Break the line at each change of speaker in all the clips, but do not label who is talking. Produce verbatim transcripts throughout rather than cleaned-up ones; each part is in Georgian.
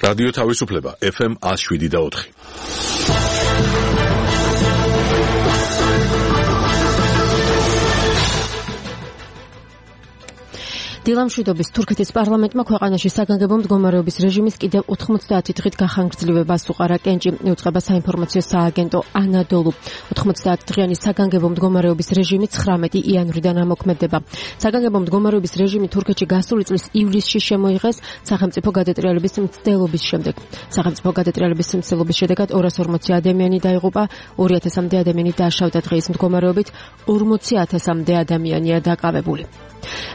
რადიო თავისუფლება ეფ ემ one oh seven და four.
დილამშვიდობის თურქეთის პარლამენტმა ქვეყანაში საგანგებო მდგომარეობის რეჟიმის კიდევ ოთხმოცდაათი დღით გახანგრძლივებას უყარა. კენჭი იუწყება საინფორმაციო სააგენტო ანადოლუ. ოთხმოცდაათი დღიანი საგანგებო მდგომარეობის რეჟიმი ცხრამეტი იანვრიდან ამოქმედება. საგანგებო მდგომარეობის რეჟიმი თურქეთში გასული წლის ივლისში შემოიღეს სახელმწიფო გადატრიალების მცდელობის შემდეგ. სახელმწიფო გადატრიალების მცდელობის შედეგად ორას ორმოცი ადამიანი დაიღუპა, ორი ათასამდე ადამიანი დაშავდა. დღის მდგომარეობით ორმოცი ათასამდე ადამიანია დაკავებული.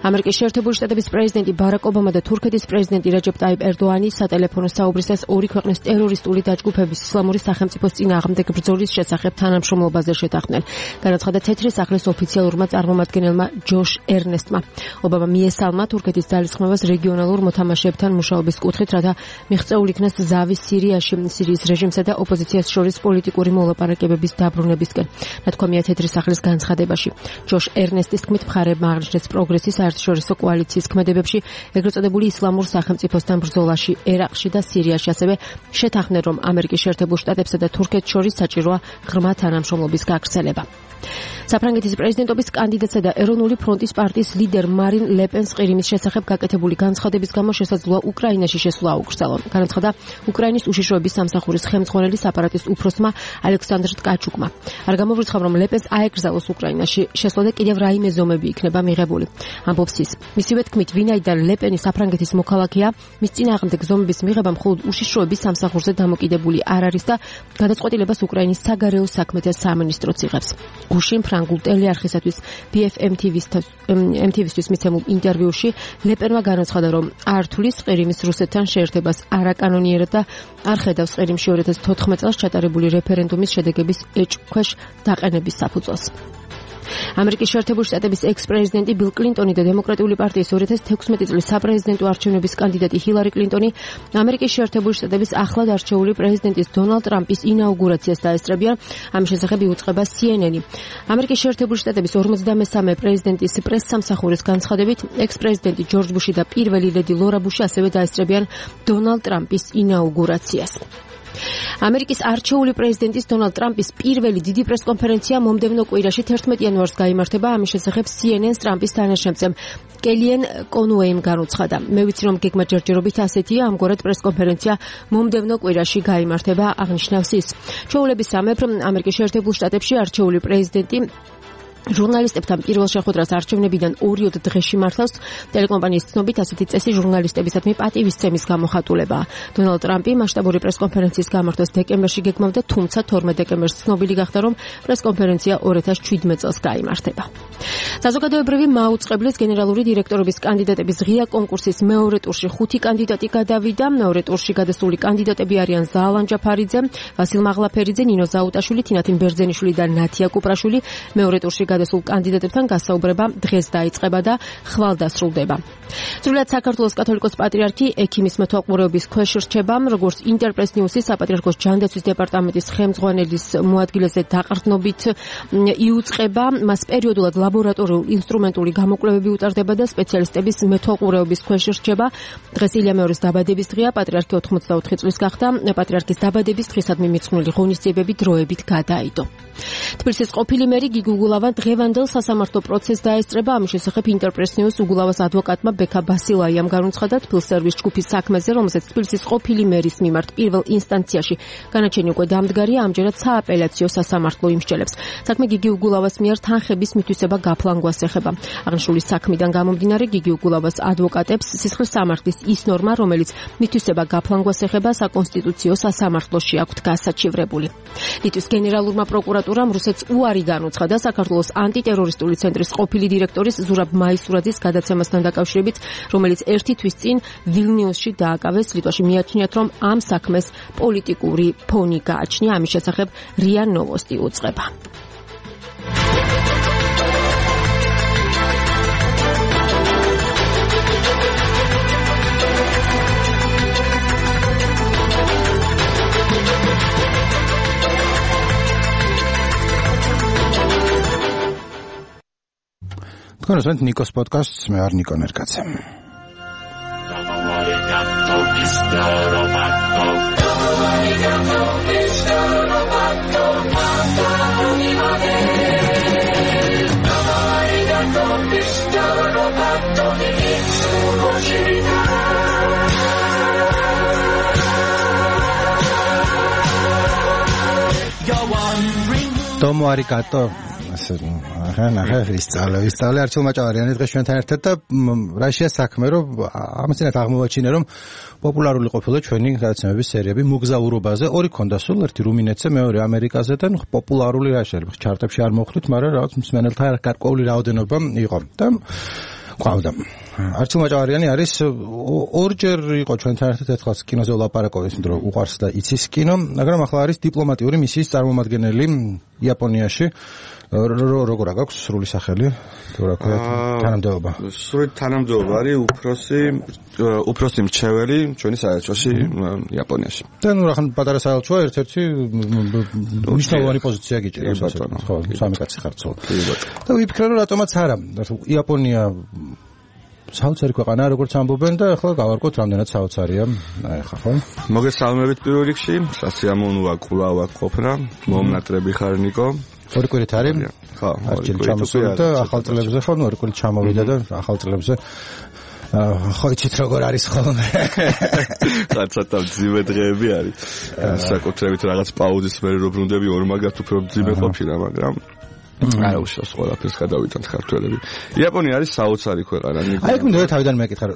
ამერიკის შეერთებული შტატების პრეზიდენტი ბარაკ ობამა და თურქეთის პრეზიდენტი რეჯეპ ტაიპ ერდოანი სატელეფონო საუბრისას ორი ქვეყნის ტერორისტული დაჯგუფების ისლამური სახელმწიფოს წინააღმდეგ ბრძოლის შესახებ თანამშრომლობაზე შეთანხმდნენ. განაცხადა თეთრი სახლის ოფიციალურმა წარმომადგენელმა ჯოშ ერნესტმა. ობამა მიესალმა თურქეთის ძალისხმევას რეგიონალურ მოთამაშეებთან მუშაობის კუთხით, რათა მიღწეულ იქნას ზავის სირიაში, სირიის რეჟიმსა და ოპოზიციას შორის პოლიტიკური მოლაპარაკებების დაბრუნებისკენ. ნათქვამია თეთრი სახლის განცხადებაში. ჯოშ ერნესტის თქმით, მხარეებმა აღნიშნეს პროგრესის საერთაშორისო კოალიციის ქმედებებში, ეგრეთ წოდებული ისლამურ სახელმწიფოსთან ბრძოლაში ერაყში და სირიაში, ასევე შეთანხმდნენ, რომ ამერიკის შეერთებულ შტატებსა და თურქეთს შორის საჭიროა ღრმა თანამშრომლობის გაგრძელება. საფრანგეთის პრეზიდენტობის კანდიდატსა და ეროვნული ფრონტის პარტიის ლიდერ მარინ ლეპენს ყირიმის შესახებ გაკეთებული განცხადების გამო შესაძლოა უკრაინაში შესვლა აუკრძალონ. განაცხადა უკრაინის უშიშროების სამსახურის ხელმძღვანელის აპარატის უფროსმა ალექსანდრ ტკაჩუკმა. არ გამოვრიცხავ, რომ ლეპენს აეკრძალოს უკრაინაში შესვლა და კიდევ რაიმე ზომები იქნება მიღებული. ამბობს ის. მისივე თქმით, ვინაიდან ლეპენი საფრანგეთის მოქალაქეა, მის წინააღმდეგ ზომების მიღება მხოლოდ უშიშროების სამსახურზე დამოკიდებული არ არის და გადაწყვეტილებას უკრაინის საგარეო საქმეთა სამინისტროც იღებს. გუშინ ფრანგულ ტელეარხისათვის ბი ეფ ემ თი ვის-თვის მიცემულ ინტერვიუში ლეპენმა განაცხადა, რომ არ თulis ყირიმის რუსეთთან შეერთებას არაკანონიერად და არ ხედავს ყირიმში ორი ათას თოთხმეტ წელს ჩატარებული რეფერენდუმის შედეგების ეჭვქვეშ დაყენების საფუძველს. ამერიკის შეერთებული შტატების ექს-პრეზიდენტი ბილ კლინტონი და დემოკრატიული პარტიის ორი ათას თექვსმეტი წლის საპრეზიდენტო არჩევნების კანდიდატი ჰილარი კლინტონი ამერიკის შეერთებული შტატების ახლად არჩეული პრეზიდენტის დონალდ ტრამპის ინაუგურაციას დაესწრებიან. ამის შესახებ იუწყება სი ენ ენი. ამერიკის შეერთებული შტატების ორმოცდამესამე პრეზიდენტის პრესსამსახურის განცხადებით, ექს-პრეზიდენტი ჯორჯ ბუში და პირველი ლედი ლორა ბუში ასევე დაესწრებიან დონალდ ტრამპის ინაუგურაციას. ამერიკის არჩეული პრეზიდენტის დონალდ ტრამპის პირველი დიდი პრესკონფერენცია მომდევნო კვირაში თერთმეტი იანვარს გაიმართება. ამის შესახებ სი ენ ენს ტრამპის თანაშემწემ კელიენ კონუეიმ განუცხადა. მე ვიცი, რომ გეგმა ჯერჯერობით ასეთია, ამგვარად პრესკონფერენცია მომდევნო კვირაში გაიმართება, აღნიშნავს ის. ჩვეულების სამეფ ამერიკის შეერთებულ შტატებში არჩეული პრეზიდენტი ჟურნალისტებთან პირველ შეხვედრას არჩევნებიდან ორი ოდე დღეში მართავს. ტელეკომპანიის ცნობით, ასეთი წესი ჟურნალისტებისადმი პატივისცემის გამოხატულებაა. დონალდ ტრამპი მასშტაბური პრესკონფერენციის გამართვას დეკემბერში გეგმავდა, თუმცა თორმეტ დეკემბერს ცნობილი გახდა, რომ პრესკონფერენცია ორი ათას შვიდმეტ წელს გაიმართება. საზოგადოებრივი მაუწყებლის გენერალური დირექტორობის კანდიდატების ღია კონკურსის მეორე ტურში ხუთი კანდიდატი გადავიდა. მეორე ტურში გადასული კანდიდატები არიან ზაალან ჯაფარიძე, ვასილ მაღლაფერიძე, ნინო ზაუტაშვილი, თინათინ ბერძენიშვილი და ნათია კუპრაშვილი. მეორე ტურში გადასულ კანდიდატებთან გასაუბრება დღეს დაიწყება და ხვალ დასრულდება. სრულად საქართველოს კათოლიკოს პატრიარქი ექიმის მეთვალყურეობის ქვეშ რჩება, როგორც ინტერპრეს ნიუსის საპატრიარქოს ჯანდაცვის დეპარტამენტის ხელმძღვანელის მოადგილეზე დაყრდნობით იუწყება. მას პერიოდულად ლაბორატორიული ინსტრუმენტული გამოკვლევები უტარდება და სპეციალისტების მეთვალყურეობის ქვეშ რჩება. დღეს ილია მეორის დაბადების დღეა, პატრიარქი ოთხმოცდაოთხი წლის გახდა. პატრიარქის დაბადების დღისადმი მიძღვნილი ღონისძიებები დროებით გადაიდო. თბილისის ყოფილი მერი გიგი უგულავა დღევანდელ სასამართლო პროცესს დაესწრება. ამის შესახებ ინტერპრეს ნიუს უგულავას ადვოკატმა ბექა ბასილაიამ განუცხადა თბილსერვის ჯგუფის საქმეზე, რომელსაც თბილისის ყოფილი მერის მიმართ პირველ ინსტანციაში განაჩენი უკვე დამდგარია, ამჯერად სააპელაციო სასამართლო იმსჯელებს. საქმე გიგი უგულავას მიერ თანხების მითვისება გაფლანგვას ეხება. აღნიშნული საქმიდან გამომდინარე, გიგი უგულავას ადვოკატებს სისხლის სამართლის ის ნორმა, რომელიც მითვისება გაფლანგვას ეხება, საკონსტიტუციო სასამართლოში აქვთ გასაჩივრებული. ლიტვის გენერალურმა პროკურატურამ რუსეთს უარი განუცხადა საქართველოს ანტიტერორისტული ცენტრის ყოფილი დირექტორის ზურაბ მაისურაძის გადაცემასთან დაკავშირებით, რომელიც ერთი თვის წინ ვილნიუსში დააკავეს. ლიტვაში მიაჩნიათ, რომ ამ საქმეს პოლიტიკური ფონი გააჩნია. ამის შესახებ რია ნოვოსტი უწყება.
თქვენ უსმენთ ნიკოს პოდკასტს, მე ვარ ნიკო ნერკაცე. Domo arigato. ახლა ნახე ისწავლე, ისწავლე არჩილ მაჭავარიანი დღეს ჩვენთან ერთად და რაშია საქმე, რომ ამასინათ აღმოვაჩინე, რომ პოპულარული ყოფილა ჩვენი გადაცემების სერიები მოგზაურობაზე, ორი ქონდა სულ, ერთი რუმინეთზე, მეორე ამერიკაზე და პოპულარული რაშია, ჩარტებში არ მოხვდით, მაგრამ რაღაც მსმენელთა გარკვეული რაოდენობა იყო. და ყავდა. არჩილ მაჭავარიანი არის ორჯერ იყო ჩვენთან ერთად, ერთხელ კინოზე ვლაპარაკობ, იმიტომ რომ უყვარს და იცის კინო, მაგრამ ახლა არის დიპლომატიური მისიის წარმომადგენელი იაპონიაში. როგორ აქვს სრული სახელი? თუ რა ქვია, თანამდებობა.
სრული თანამდებობა არის უფროსი უფროსი მრჩეველი ჩვენი საელჩოში იაპონიაში.
და ნუ რა ხან პატარა საელჩოა, ერთ-ერთი მნიშვნელოვანი პოზიცია გიჭირავს, ხო, სამი კაცი ხართ სულ. და ვიფიქრე, რომ რატომაც არა, იაპონია საოცარი ქვეყანა, როგორც ამბობენ და ახლა გავარკვევთ რამდენად საოცარია. აი ხა ხო?
მოგესალმებით პირველ რიგში, სასიამოვნოა კვლავ აქ ყოფნა, მომნატრები ხარ ნიკო.
ორი კვირით არის?
ხო,
ორი კვირით ჩამოსული და ახალ წლებზე ხო, ორი კვირით ჩამოვიდა და ახალ წლებზე ხო იცით როგორ არის ხოლმე.
კაცათა მძიმე დღეები არის. საკუთრებით რაღაც პაუზის მერე რო ბრუნდები ორმაგად უფრო მძიმე ყოფილა, მაგრამ არა უშავს ყველაფერს გადავიტანთ ქართველები. იაპონია არის საოცარი ქვეყანა.
აი ეგ მინდა თავიდან მეკითხა,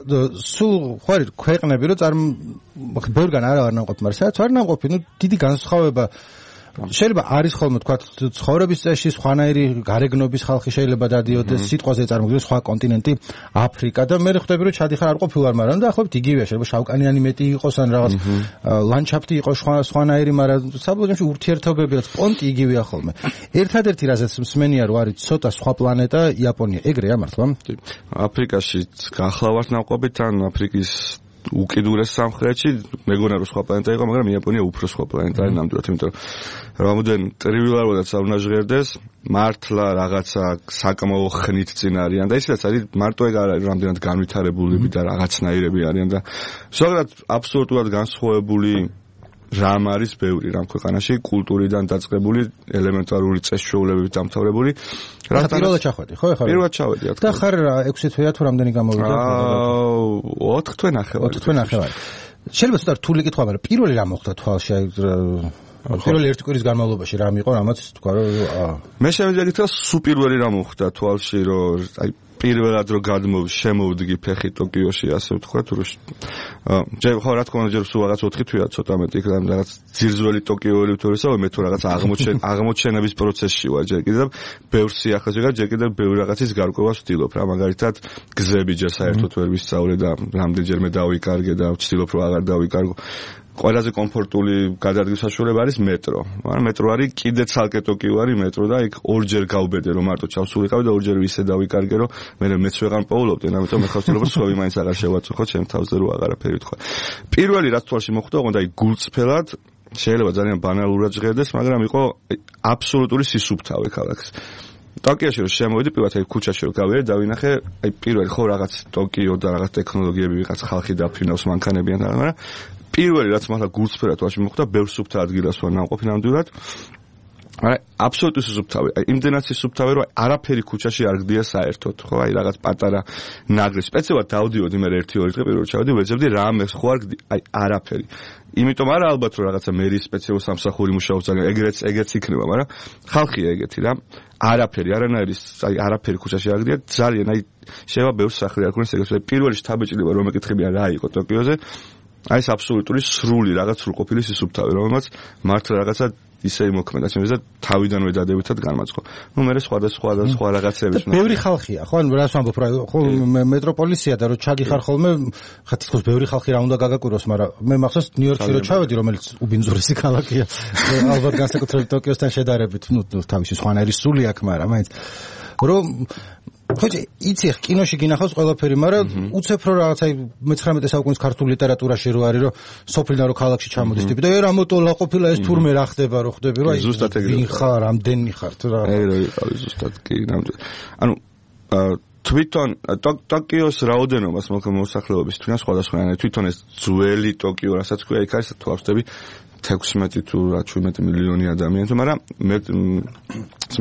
სულ ხო არის ქვეყნები, რომ წარ ბევრგან არა არ ნამყოფი, მაგრამ სადაც არ ნამყოფი, ნუ დიდი განსხვავება შეიძლება არის ხოლმე თქვა ცხოვრების წესში სხვანაირი გარეგნობის ხალხი შეიძლება დადიოდეს, სიტყვაზე წარმოგიდგენს სხვა კონტინენტი აფრიკა და მე ხვდები რომ ჩადიხარ არ ყოფილვარ, მაგრამ დაახლოებით იგივეა, შეიძლება შავკანიანი მეტი იყოს ან რაღაც ლანდშაფტი იყოს სხვანაირი, მაგრამ საბოლოოში ურთიერთობებიც პონტი იგივეა ხოლმე. ერთადერთი რაზეც მსმენია რომ არის ცოტა სხვა პლანეტა იაპონია, ეგრეა მართლა?
აფრიკაში გახლავართ ნაყოფით ან აფრიკის უკიდურეს სამხრეთში მეგონა რომ სხვა პლანეტა იყო, მაგრამ იაპონია უფრო სხვა პლანეტა არის ნამდვილად, იმიტომ რომ რამოდენ ტრივილარულად არ ჟღერდეს, მართლა რაღაცა საკმაო ხნით წინ არიან და ისედაც არის მარტო ეგ არ არის, რამდენად განვითარებულები და რაღაცნაირები არიან და ზოგადად აბსოლუტურად განსხვავებული რამ არის ბევრი რამ ქვეყანაში, კულტურიდან დაწყებული, ელემენტარული წესჩვეულებებით დამთავრებული.
რა პირველად ჩახვედი, ხო ეხლა?
პირველად ჩავედი, რა თქმა უნდა.
და ხარ ექვსი თვეა თუ რამდენი გამოვიდა?
აა ოთხ თვე ნახევარი.
ოთხ თვე ნახევარი. შეიძლება ცოტა რთული კითხვა, მაგრამ პირველი რა მოხდა თვალში? პირველი ერთი კვირის განმავლობაში რა მიყო, რამაც თქვა რომ
მე შემიძლია გითხრა სულ პირველი რა მოხდა თვალში, რომ აი პირველად რო გადმოვ შემოვდგი ფეხი ტოკიოში, ასე ვთქვათ, რომ ჯერ ხო რა თქმა უნდა ჯერ სულ რაღაც ოთხი თვეა ცოტა მეტი, რაღაც ძირძველი ტოკიოელი თორესა, მე თუ რაღაც აღმოჩენ აღმოჩენების პროცესში ვარ ჯერ კიდევ, ბევრ სიახლეზე და ჯერ კიდევ ბევრ რაღაცის გარკვევას ვცდილობ რა, მაგალითად გზები ჯერ საერთოდ ვერ ვისწავლე და რამდენჯერმე დავიკარგე და ვცდილობ რომ აღარ დავიკარგო. ყველაზე კომფორტული გადადგის საშუალება არის მეტრო. მაგრამ მეტრო არის კიდე ცალკე ტოკიო არის მეტრო და იქ ორჯერ გავბედე რომ მარტო ჩავსულიყავი და ორჯერ ისე დავიკარგე რომ მე მეც ვეღარ პოულობდი, ამიტომ მე ხავსtildeობ რომ სხვები მაინც აღარ შევაწუხოთ ჩემ თავზე რომ აღარაფერი ვთქვა. პირველი რაც თვალში მოხვდა, ოღონდ აი გულწრფელად შეიძლება ძალიან ბანალურად ჟღერდეს, მაგრამ იყო აბსოლუტური სისუფთავე ქალაქის. ტოკიოში რომ შემოვიდი, პირველად აი ქუჩაში რომ გავიარე, დავინახე, აი პირველი ხო რაღაც ტოკიო და რაღაც ტექნოლოგიები ვიღაც ხალხი დაფრინავს მანქანებიან, მაგრამ პირველი რაც მართლა გულწრფელად თვალში მოხვდა, ბევრ სუფთა ადგილას ვარ ნამყოფი ნამდვილად. არა, აბსოლუტური სუფთავი. აი იმდენად სუფთავი, რომ არაფერი ქუჩაში არ გდია საერთოდ, ხო? აი რაღაც პატარა ნაგრი. სპეციალურად დავდიოდი მე ერთი ორი დღე პირველად ჩავედი, ვეძებდი რამე ხო არ გდი, აი არაფერი. იმიტომ არა ალბათ რომ რაღაცა მერის სპეციალურ სამსახური მუშაობს ძალიან, ეგრეც ეგეც იქნება, მაგრამ ხალხია ეგეთი რა. არაფერი, არანაირი, აი არაფერი ქუჩაში არ გდია, ძალიან აი შევა ბევრ სახლი არ ქონდეს ეგრეთ. პირველი შთაბეჭდილება რომ მეკითხებიან რა იყო ტოკიოზე, აი ეს აბსოლუტური სრული რაღაც სრულყოფილი სისუფთავე, რომელმაც მართლა რაღაცა ისე იმოქმედა ჩემს და თავიდანვე დადებითად განმაწყო. ნუ მე სხვადასხვა და სხვა რაღაცები.
ბევრი ხალხია, ხო? ან რას ვამბობ რა, ხო მეტროპოლისია და რო ჩაგიხარ ხოლმე, ხა თითქოს ბევრი ხალხი რა უნდა გაგაკვიროს, მაგრამ მე მახსოვს ნიუ-იორკში რო ჩავედი, რომელიც უბინძურესი ქალაქია. ალბათ განსაკუთრებით ტოკიოსთან შედარებით, ნუ თავისი სხვანაირი სული აქვს, მაგრამ მაინც რომ ხოჭი იცი კინოში გინახავს ყველაფერი, მაგრამ უცებ რო რაღაც აი მეცხრამეტე საუკუნის ქართული ლიტერატურაში რო არის, რომ სოფლიდან რო ქალაქში ჩამოდის ტიპი და ე რა მოტოლა ყოფილა ეს თურმე რა ხდება, რო ხდები, რომ აი ვინ ხარ, ამდენი ხარ თუ რა.
ეგრე ვიყავი ზუსტად კი ნამდვილად. ანუ თვითონ ტოკიოს რაოდენობას მოსახლეობის თვითონ სხვადასხვანაირად თვითონ ეს ძველი ტოკიო რასაც ქვია იქ არის თუ ავსდები თექვსმეტი თუ შვიდმეტი მილიონი ადამიანი თუ მაგრამ მე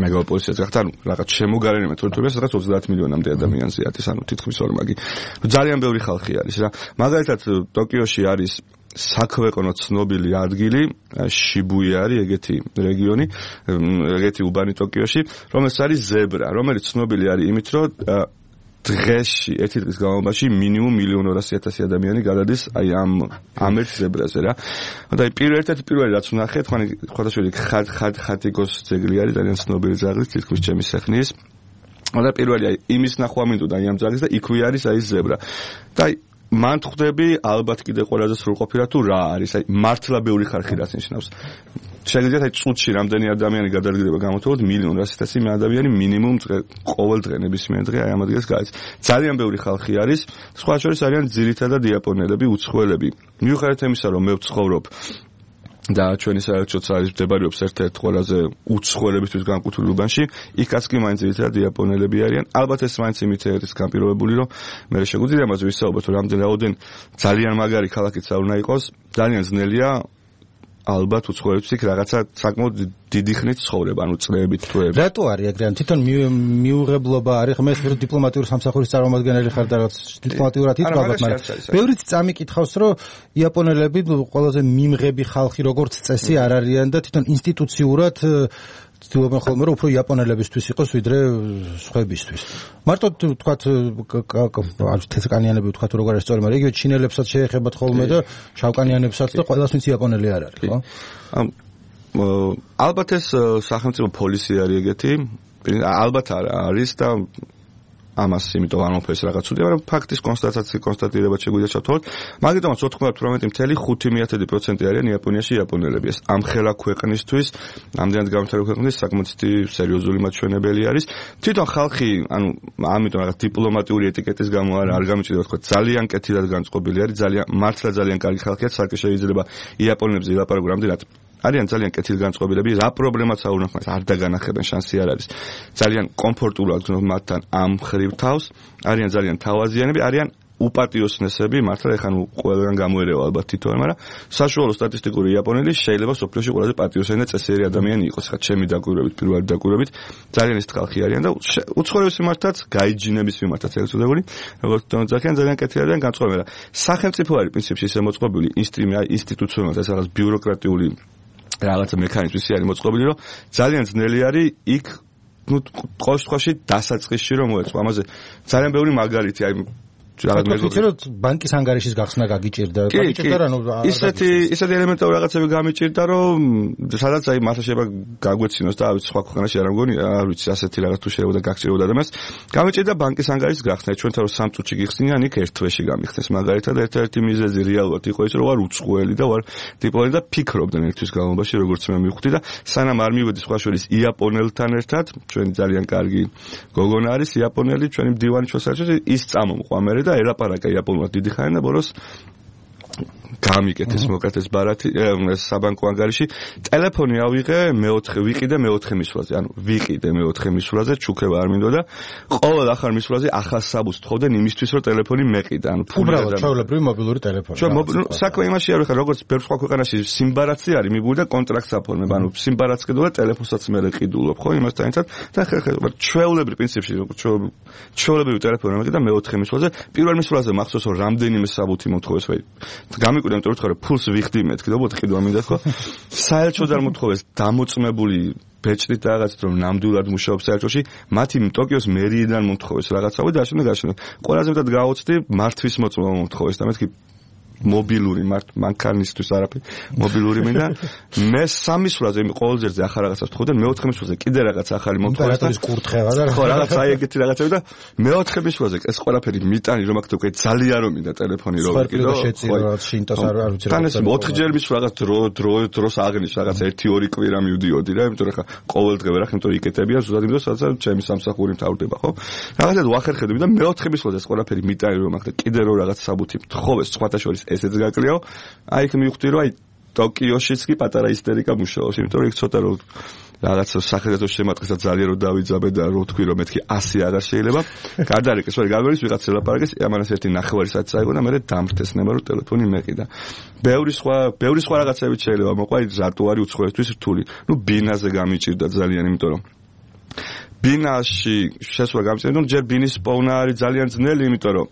მეგალოპოლისიც გახდა ანუ რაღაც შემოგარენი მეთოდებს სადაც ოცდაათ მილიონამდე ადამიანზე არის ანუ თითქმის ორმაგი ძალიან ბევრი ხალხი არის რა მაგალითად ტოკიოში არის საქვეყნო ცნობილი ადგილი შიბუია არის ეგეთი რეგიონი ეგეთი უბანი ტოკიოში რომელსაც არის ზებრა რომელიც ცნობილი არის იმით რომ დღეში ერთი დღის განმავლობაში მინიმუმ მილიონ ორასი ათასი ადამიანი გადადის აი ამ ამ ერთ ზებრაზე რა და აი პირველ ერთ პირველი რაც ვნახე თქვენი ხოდაშვილი ხად ხად ხატიკოს ძეგლი არის ძალიან ცნობილი ძაღლი თითქმის ჩემი სეხნის და პირველი აი იმის ნახვა მინდოდა აი ამ ძაღლის და იქვე არის აი ზებრა და აი მან ხვდები ალბათ კიდე ყველაზე სრულყოფილად თუ რა არის აი მართლა ბევრი ხარხი რაც ნიშნავს შეგიძლიათ აი წუთში რამდენი ადამიანი გადადგება გამოთხოვოთ მილიონ რასიტასი მე ადამიანი მინიმუმ ყოველ დღე ნებისმიერ დღე აი ამ ადგილას გადის ძალიან ბევრი ხალხი არის სხვა შორის არიან ძირითადად იაპონელები უცხოელები მიუხედავად იმისა რომ მე ვცხოვრობ და ჩვენი საერთო ცალი მდებარეობს ერთ-ერთ ყველაზე უცხოელებისთვის განკუთვნილ უბანში იქაც კი მაინც ძირითადად იაპონელები არიან ალბათ ეს მაინც იმით არის განპირობებული რომ მე შეგვიძლია ამაზე ვისაუბროთ რომ რამდენი რაოდენ ძალიან მაგარი ქალაქიც არ უნდა იყოს ძალიან ძნელია ალბათ უცხოელებს იქ რაღაცა საკმაოდ დიდი ხნით ცხოვრება, ანუ წლებით თვეები.
რატო არის ეგრე? თვითონ მიუღებლობა არის, მე ვთქვი დიპლომატიური სამსახურის წარმომადგენელი ხარ და რაღაც დიპლომატიურად ითვალოთ, მაგრამ ბევრიც წამიკითხავს, რომ იაპონელები ყველაზე მიმღები ხალხი როგორც წესი არ არიან და თვითონ ინსტიტუციურად ცდილობენ ხოლმე რომ უფრო იაპონელებისთვის იყოს ვიდრე სხვებისთვის. მარტო თქვათ თეთრკანიანები თქვათ როგორ არის სწორი, მაგრამ იგივე ჩინელებსაც შეეხებათ ხოლმე და შავკანიანებსაც და ყველას ვინც იაპონელი არ არის, ხო?
ალბათ ეს სახელმწიფო პოლისი არის ეგეთი, ალბათ არის და ამას იმიტომ არ მომფეს რაღაც უდია, მაგრამ ფაქტის კონსტატაცია კონსტატირება შეგვიძლია ჩავთვალოთ. მაგიტომაც ოცდაოთხმეტ პროცენტი ხუთი მიათედი პროცენტი არიან იაპონიაში იაპონელები. ეს ამ ხელა ქვეყნისთვის, ამდენად განვითარებული ქვეყნისთვის საკმაოდ სერიოზული მაჩვენებელი არის. თვითონ ხალხი, ანუ ამიტომ რაღაც დიპლომატიური ეტიკეტის გამო არ არ გამიჭირდება თქო, ძალიან კეთილად განწყობილი არის, ძალიან მართლა ძალიან კარგი ხალხია, საერთოდ შეიძლება იაპონელებზე ილაპარაკო რამდენად არიან ძალიან კეთილ განწყობილები, რა პრობლემაც არ უნდა ხმას, არ დაგანახებენ, შანსი არ არის. ძალიან კომფორტულად გრძნობ მათთან ამ ხრივ თავს, არიან ძალიან თავაზიანები, არიან უპატიოსნესები, მართლა ეხლა ნუ ყველგან გამოერევა ალბათ თითოეულ, მაგრამ საშუალო სტატისტიკური იაპონელი შეიძლება სოფლიოში ყველაზე პატიოსანი და წესიერი ადამიანი იყოს, ხა ჩემი დაკვირვებით, პირველი დაკვირვებით, ძალიან ის ხალხი არიან და უცხოების მიმართაც, გაიჯინების მიმართაც ეგ უწოდებული, როგორც თვითონ ძალიან კეთილად განწყობილი. სახელმწიფო არის პრინციპში ესე მოწყობილი ინსტიტუციონალურად, ეს რაღაც ბიუროკრატიული რაღაცა მექანიზმი არის მოწყობილი, რომ ძალიან ძნელი არის იქ ნუ ყოველ შემთხვევაში დასაწყისში რომ მოეწყო. ამაზე ძალიან ბევრი მაგალითი აი
რაღაც მეგობრები რომ ბანკის ანგარიშის გახსნა გაგიჭირდა, გაგიჭირდა რა ნუ
ისეთი ისეთი ელემენტური რაღაცები გამიჭირდა, რომ სადაც აი მართლა შეიძლება გაგვეცინოს და სხვა ქვეყანაში არ მგონი, არ ვიცი, ასეთი რაღაც თუ შეიძლება გაგჭირებოდა ადამიანს. გამიჭირდა ბანკის ანგარიშის გახსნა, ჩვენთან რომ სამ წუთში გიხსნიან, იქ ერთ თვეში გამიხსნეს. მაგალითად, ერთ-ერთი მიზეზი რეალურად იყო ის, რომ ვარ უცხოელი და ვარ დიპლომატი და ფიქრობდნენ ერთვის განმავლობაში, როგორც მე მივხვდი და სანამ არ მივედი სხვა შორის იაპონელთან ერთად, ჩვენი ძალიან კარგი გოგონა არის იაპონელი, ჩვენი მდივანი ჩვენსაერთოდ ის წამომყვა მე და ელაპარაკა იაპონურად დიდი ხანი და ბოლოს გამიკეთეს მოკეთეს ბარათი საბანკო ანგარიში ტელეფონი ავიღე მეოთხე ვიყიდე მეოთხე მისვლაზე ანუ ვიყიდე მეოთხე მისვლაზე ჩუქება არ მინდოდა ყოველ ახალ მისვლაზე ახალ საბუთს თხოვდნენ იმისთვის რომ ტელეფონი მეყიდა ანუ
უბრალოდ ჩვეულებრივი მობილური ტელეფონი
საქმე იმაში არის ხა როგორც ბევრ სხვა ქვეყანაში სიმბარაცი არის მიგული და კონტრაქტს აფორმებ ანუ სიმბარაც ყიდულ და ტელეფონსაც მე ყიდულობ ხო იმასთან ერთად და ხა ჩვეულებრივი პრინციპში ჩვეულებრივი ტელეფონი მეყიდა მეოთხე მისვლაზე პირველ მისვლაზე მახსოვს რომ რამდენიმე საბუთი მომთხოვეს ვაი გამიკვირდა იმიტომ რომ თქვა ფულს ვიხდი მეთქი და ბოთი ყიდვა მინდა ხო საერთოდ არ მოთხოვეს დამოწმებული ბეჭდით რაღაცით რომ ნამდვილად მუშაობს საერთოში მათი ტოკიოს მერიიდან მომთხოვეს რაღაცა და აშენდა გაშენდა ყველაზე მეტად გაოცდი მართვის მოწმობა მომთხოვეს და მეთქი მობილური მართ მანქანისთვის არაფერი მობილური მინდა მე სამი სულაზე ყოველ ძერზე ახალ რაღაცას ვთხოვდნენ მეოთხე სულაზე კიდე რაღაც ახალი მომთხოვეს
და კურთხევა და
ხო რაღაც აი ეგეთი რაღაცები და მეოთხე სულაზე ეს ყველაფერი მიტანი რომ აქ თქვი ძალიან რომ მინდა ტელეფონი რო ვიყიდო
ხო რაღაც შინტოს არ არ ვიცი
რა თან ეს ოთხჯერ მის რაღაც დრო დრო დროს აღნის რაღაც ერთი ორი კვირა მივდიოდი რა იმიტომ რომ ხა ყოველ დღე ვერახ იმიტომ რომ იკეთებია ზუსტად იმიტომ სადაც ჩემი სამსახური მთავრდება ხო რაღაცად ვახერხებდი და მეოთხე სულაზე ეს ყველაფერი მიტანი რომ აქ და კიდე რო რაღაც საბუთი თხოვეს სხვათა შორის ესეც გაკლიაო აი იქ მივხვდი რომ აი ტოკიოშიც კი პატარა ისტერიკა მუშაობს, იმიტომ რომ იქ ცოტა რომ რაღაც სახელმწიფო შემატყისა ძალიან რომ დავიძაბე და რო თქვი რომ მეთქი ასი არა შეიძლება. გადარეკეს, ვარ გამერის ვიღაც ელაპარაკეს, ამანას ერთი ნახევარი საათი წაიგო და მე დამრთეს ნება რომ ტელეფონი მეყიდა. ბევრი სხვა, ბევრი სხვა რაღაცები შეიძლება მოყვა, რატო არის უცხოეთთვის რთული. ნუ ბინაზე გამიჭირდა ძალიან, იმიტომ რომ ბინაში შესვლა გამიჭირდა, ნუ ჯერ ბინის პოვნა არის ძალიან ძნელი, იმიტომ რომ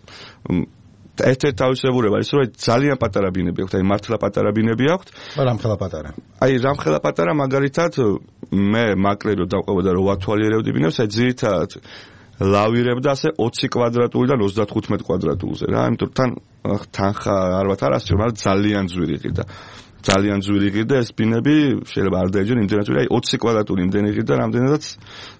ერთ-ერთი თავისებურება ის რომ ძალიან პატარა ბინები აქვთ, აი მართლა პატარა ბინები აქვთ.
რამხელა პატარა.
აი რამხელა პატარა მაგალითად მე მაკლერი რომ დავყვებოდა რომ ვათვალიერებდი ბინებს, აი ძირითადად ლავირებდა ასე ოცი კვადრატულიდან ოცდათხუთმეტ კვადრატულზე რა, იმიტომ რომ თან თანხა არ ვათ არასწორი, მაგრამ ძალიან ძვირი ყიდა. ძალიან ძვირი ყიდა ეს ბინები, შეიძლება არ დაეჯერ იმდენად ძვირი, აი ოცი კვადრატული იმდენი ყიდა, რამდენადაც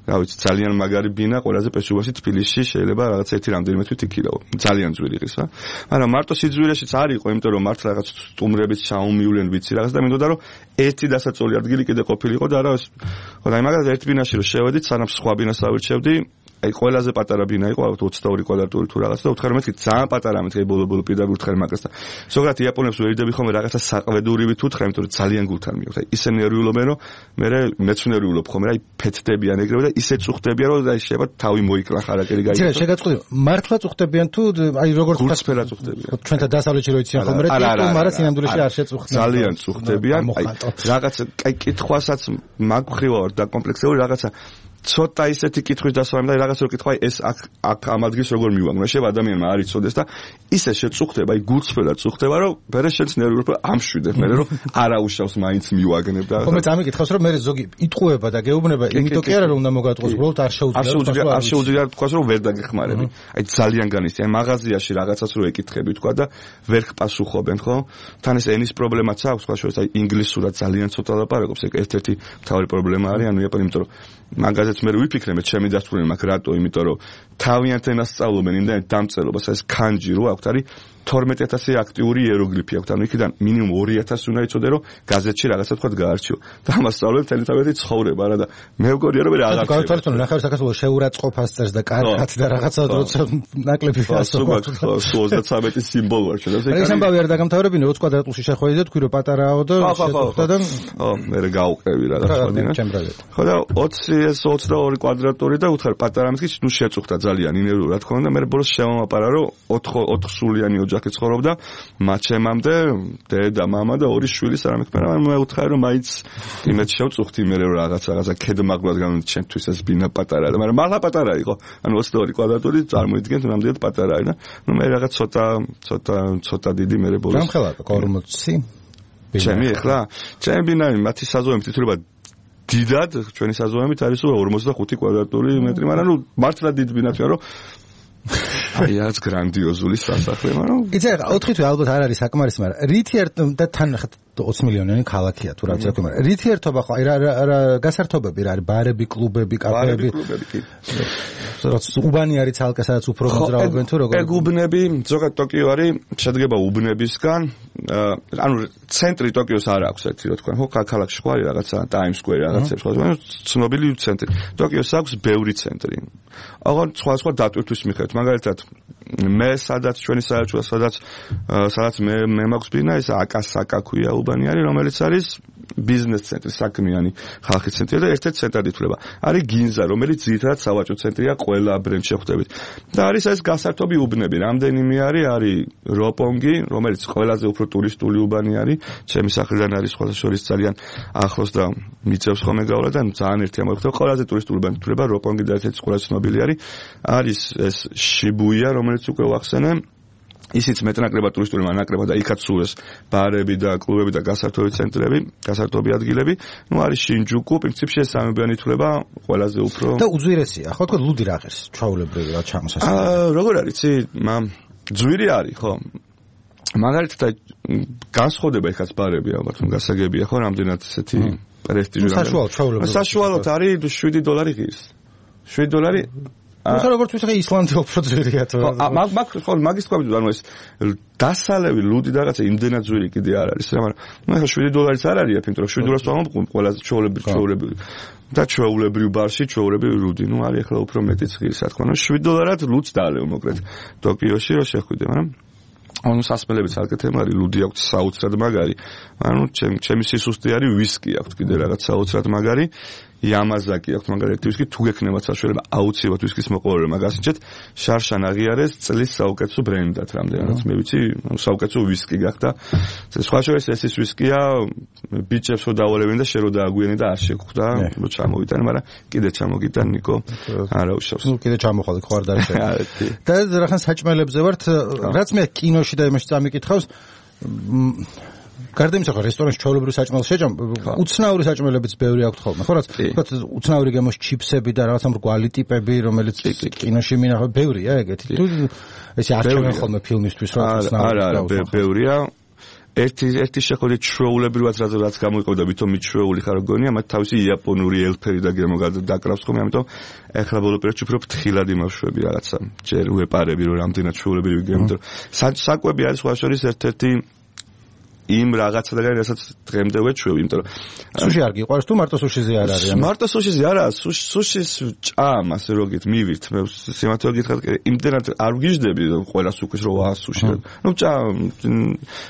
რა ვიცი, ძალიან მაგარი ბინა, ყველაზე პესუვაში თბილისში შეიძლება რაღაც ერთი რამდენიმე თვით იქირავო. ძალიან ძვირი ყის რა. მაგრამ მარტო სიძვირეშიც არ იყო, იმიტომ რომ მართ რაღაც სტუმრებით ჩაუმივლენ ვიცი რაღაც და მინდოდა რომ ერთი დასაწოლი ადგილი კიდე ყოფილიყო და არა ხო და აი მაგალითად ერთ ბინაში რომ შევედით, სანამ სხვა ბინას ავირჩევდი, აი ყველაზე პატარა ბინა იყო ოცდაორი კვადრატული თუ რაღაც და უთხრა რომ მეთქი ძალიან პატარა მეთქი ბოლო-ბოლო პირდაპირ უთხრა მაგას და ზოგადად იაპონებს ვერიდები ხომ რაღაცა საყვედურივით უთხრა, იმიტომ რომ ძალიან გულთან მიიღო. აი ისე ნერვიულობენ რომ მე მეც ნერვიულობ ხომ რა, აი ფეთდებიან ეგრევე და ისე წუხდებიან რომ აი შეიძლება თავი მოიკლა ხარაკერი გაიგო.
ძირა შეგაწყდი, მართლა წუხდებიან თუ აი როგორც
გულწრფელად წუხდებიან.
ჩვენთან დასავლეთში რო იციან ხომ რა, ტიპო მაგრამ სინამდვილეში არ შეწუხდნენ.
ძალიან წუხდებიან. აი რაღაცა აი კითხვასაც მაგხრივა ვარ დაკომპლექსებული რაღაცა ცოტა ისეთი კითხვის დასვამ და რაღაც რო კითხვა ეს აქ აქ ამ ადგილს როგორ მივაგნო შეიძლება ადამიანმა არ იცოდეს და ისე შეწუხდება აი გულწრფელად წუხდება რომ მერე შენს ნერვიულობა ამშვიდებ მერე რომ არაუშავს მაინც მივაგნებ და
ხომ მე წამიკითხავს რომ მერე ზოგი იტყუება და გეუბნება იმიტომ კი არა რომ უნდა მოგატყოს უბრალოდ არ შეუძლია
არ შეუძლია თქვას რომ ვერ დაგეხმარები აი ძალიან განიცდი აი მაღაზიაში რაღაცას რო ეკითხები თქვა და ვერ პასუხობენ ხო თან ეს ენის პრობლემაც აქვს სხვა შორის აი ინგლისურად ძალიან ცოტა ლაპარაკობს ეგ ერთ-ერთი მთავარი პრობლემა არის ანუ იაპონი იმიტომ რომ მაგაზეც მე ვიფიქრე მე ჩემი დასტურები მაქვს რატო იმიტომ რომ თავიანთ ენას სწავლობენ იმდენად დამწერლობას ეს კანჯი რო აქვთ არის თორმეტი ათასი აქტიური იეროგლიფი აქვთ ანუ იქიდან მინიმუმ ორი ათასი უნდა იცოდე რომ გაზეთში რაღაცა თქვა გაარჩიო და ამას სწავლობენ თელი თავისი ცხოვრება რა და მე მგონია რომ მე რაღაცა
გავთვალისწინო ნახევარ საქართველოს შეურაცხყოფას წერს და კარგად და რაღაცა როცა ნაკლები ფასობა
ოცდათრამეტი სიმბოლო არ შეიძლება
ეს ამბავი არ დაგამთავრებინე ოცი კვადრატულში შეხვედი და თქვი რომ პატარაო და შეხვდა და
ხო მე გავყევი რაღაცა ხო და ოცი ეს ოცდაორი კვადრატული და უთხარ პატარა მისკი ნუ შეწუხდა ძალიან ინერვიულ რა თქმა უნდა მე ბოლოს შემომაპარა რომ ოთხ სულიანი ოჯახი ცხოვრობდა მაჩემამდე დედა მამა და ორი შვილი სანამ იქნება მე უთხარი რომ მაინც იმეთ შევწუხდი მე რომ რაღაც რაღაცა ქედმაღლად გამომდი ჩემთვის ეს ბინა პატარა და მაგრამ მართლა პატარა იყო ანუ ოცდაორი კვადრატული წარმოიდგენთ ნამდვილად პატარა არის და ნუ მე რაღაც ცოტა ცოტა ცოტა დიდი მე ბოლოს
რამხელა ორმოცი
ჩემი ახლა ჩემი ბინა მათი საზომებით ითვლება დიდად ჩვენი საზომებით არის ორმოცდახუთი კვადრატული მეტრი მაგრამ ნუ მართლა დიდ ბინათია რომ აი ეს გრანდიოზული სასახლე, მაგრამ
იცი რა, ოთხი თვე ალბათ არ არის საკმარისი, მაგრამ რითი ერთ და თან ოცი მილიონიანი ქალაქია თუ რა ვიცი, მაგრამ რითი ერთობა ხო, აი რა რა გასართობები რა არის, ბარები, კლუბები, კაფეები. რაც უბანი არის ცალკე, სადაც უფრო მოძრაობენ თუ როგორ?
ეგ უბნები, ზოგადად ტოკიო არის, შედგება უბნებისგან, ანუ ცენტრი ტოკიოს არ აქვს ერთი რა თქვა, ხო, ქალაქში ხო არის რაღაცა Times Square რაღაცებს ხო, ცნობილი ცენტრი. ტოკიოს აქვს ბევრი ცენტრი. აღარ სხვა სხვა დატვირთვის მიხედვით, მაგალითად მე სადაც ჩვენი საერთო სადაც სადაც მე მე მაქვს ბინა ეს აკასაკა ქვია უბანი არის რომელიც არის ბიზნეს ცენტრი საქმიანი ხალხის ცენტრი და ერთ-ერთი ცენტრად ითვლება არის გინზა რომელიც ძირითადად სავაჭრო ცენტრია ყველა ბრენდში შეხვდებით და არის ეს გასართობი უბნები რამდენიმე არის არის როპონგი რომელიც ყველაზე უფრო ტურისტული უბანი არის ჩემი სახლიდან არის სხვა შორის ძალიან ახლოს და მიწევს ხოლმე გავლა და ძალიან ერთი ამოხდა ყველაზე ტურისტული უბანი ითვლება როპონგი და ერთ-ერთი ყველაზე ცნობილი არის არის ეს შიბუია რომელიც უკვე ვახსენე ისიც მეტნაკლებად ტურისტული მანაკლებად და იქაც სულ ეს ბარები და კლუბები და გასართობი ცენტრები, გასართობი ადგილები, ну არის შინჯუკუ, პრინციპში ეს სამებიანი ითვლება ყველაზე უფრო
და უძვირესია, ხო თქო ლუდი რა ღირს, ჩვეულებრივი რა ჩამოსასწრაფო.
აა როგორ არის, იცი, ძვირი არის, ხო? მაგალითად განსხვავდება ეხაც ბარები ალბათ, გასაგებია, ხო, რამდენად ესეთი პრესტიჟური.
საშუალო ჩვეულებრივი.
საშუალოდ არის შვიდი დოლარი ღირს. შვიდი დოლარი
ну როგორც ვთქვი ისლანდია უფრო ძვირია თუ
მაგ მაგ ხო მაგის თქვა ანუ ეს დასალევი ლუდი და რაღაცა იმდენად ძვირი კიდე არ არის რა მაგრამ ну ახლა შვიდი დოლარიც არ არის იმიტომ რომ შვიდი დოლარს ვამბობ ყველაზე ჩვეულებრივი ჩვეულებრივი და ჩვეულებრივ ბარში ჩვეულებრივი ლუდი ну არის ახლა უფრო მეტიც ღირს რა თქმა უნდა შვიდი დოლარად ლუდს დაალევ მოკლედ ტოკიოში რომ შეხვიდე მაგრამ ანუ სასმელებიც არკეთებ არის ლუდი აქვს საოცრად მაგარი ანუ ჩემ ჩემი სისუსტე არის ვისკი აქვს კიდე რაღაც საოცრად მაგარი იამაზაკი აქვს მაგალითად ვისკი თუ გექნებათ საშუალება აუცილებლად ვისკის მოყოლება მაგასინჩეთ შარშან აღიარეს წლის საუკეთესო ბრენდად რამდენადაც მე ვიცი საუკეთესო ვისკი გახდა სხვა შორის ეს ის ვისკია ბიჭებს რო დავალებენ და შე რო დააგვიანე და არ შეგხვდა რო ჩამოვიტანე მაგრამ კიდე ჩამოგიტან ნიკო არა უშავს
ნუ კიდე ჩამოხვალ ხო არ დაიწყე და რახან საჭმელებზე ვართ რაც მე კინოში და იმაში წამიკითხავს გარდა იმისა, რომ რესტორანში ჩვეულებრივ საჭმელს შეჭამ, უცნაური საჭმელებიც ბევრი აქვს ხოლმე. ხო, რაც თქვა უცნაური გემოს ჩიფსები და რაღაცა მრგვალი ტიპები, რომელიც კინოში მინახავ, ბევრია ეგეთი. თუ ესე არ ჩამენ ხოლმე ფილმისთვის, რომ უცნაური.
არა, არა, ბევრია. ერთი ერთი შეხედვით ჩვეულებრივად რაც რაც გამოიყოდა, ვითომ მიჩვეული ხარ გონია, მათ თავისი იაპონური ელფერი და გემო დაკრავს ხოლმე, ამიტომ ეხლა ბოლო პერიოდში უფრო ფრთხილად იმავშვები რაღაცა. ჯერ უეპარები რომ რამდენად ჩვეულებრივი გემო. საკვები არის სხვა შორის ერთ-ერთი იმ რაღაცადაგან რასაც დღემდე ვეჩვევ, იმიტომ რომ
სუში არ გიყვარს თუ მარტო სუშიზე არ არის?
მარტო სუშიზე არა, სუშის ჭამ ასე როგით მივირთ. მე სიმართლე გითხრათ, იმდენად არ ვგიჟდები ყველას უკვე რომ აა სუში. ნუ ჭამ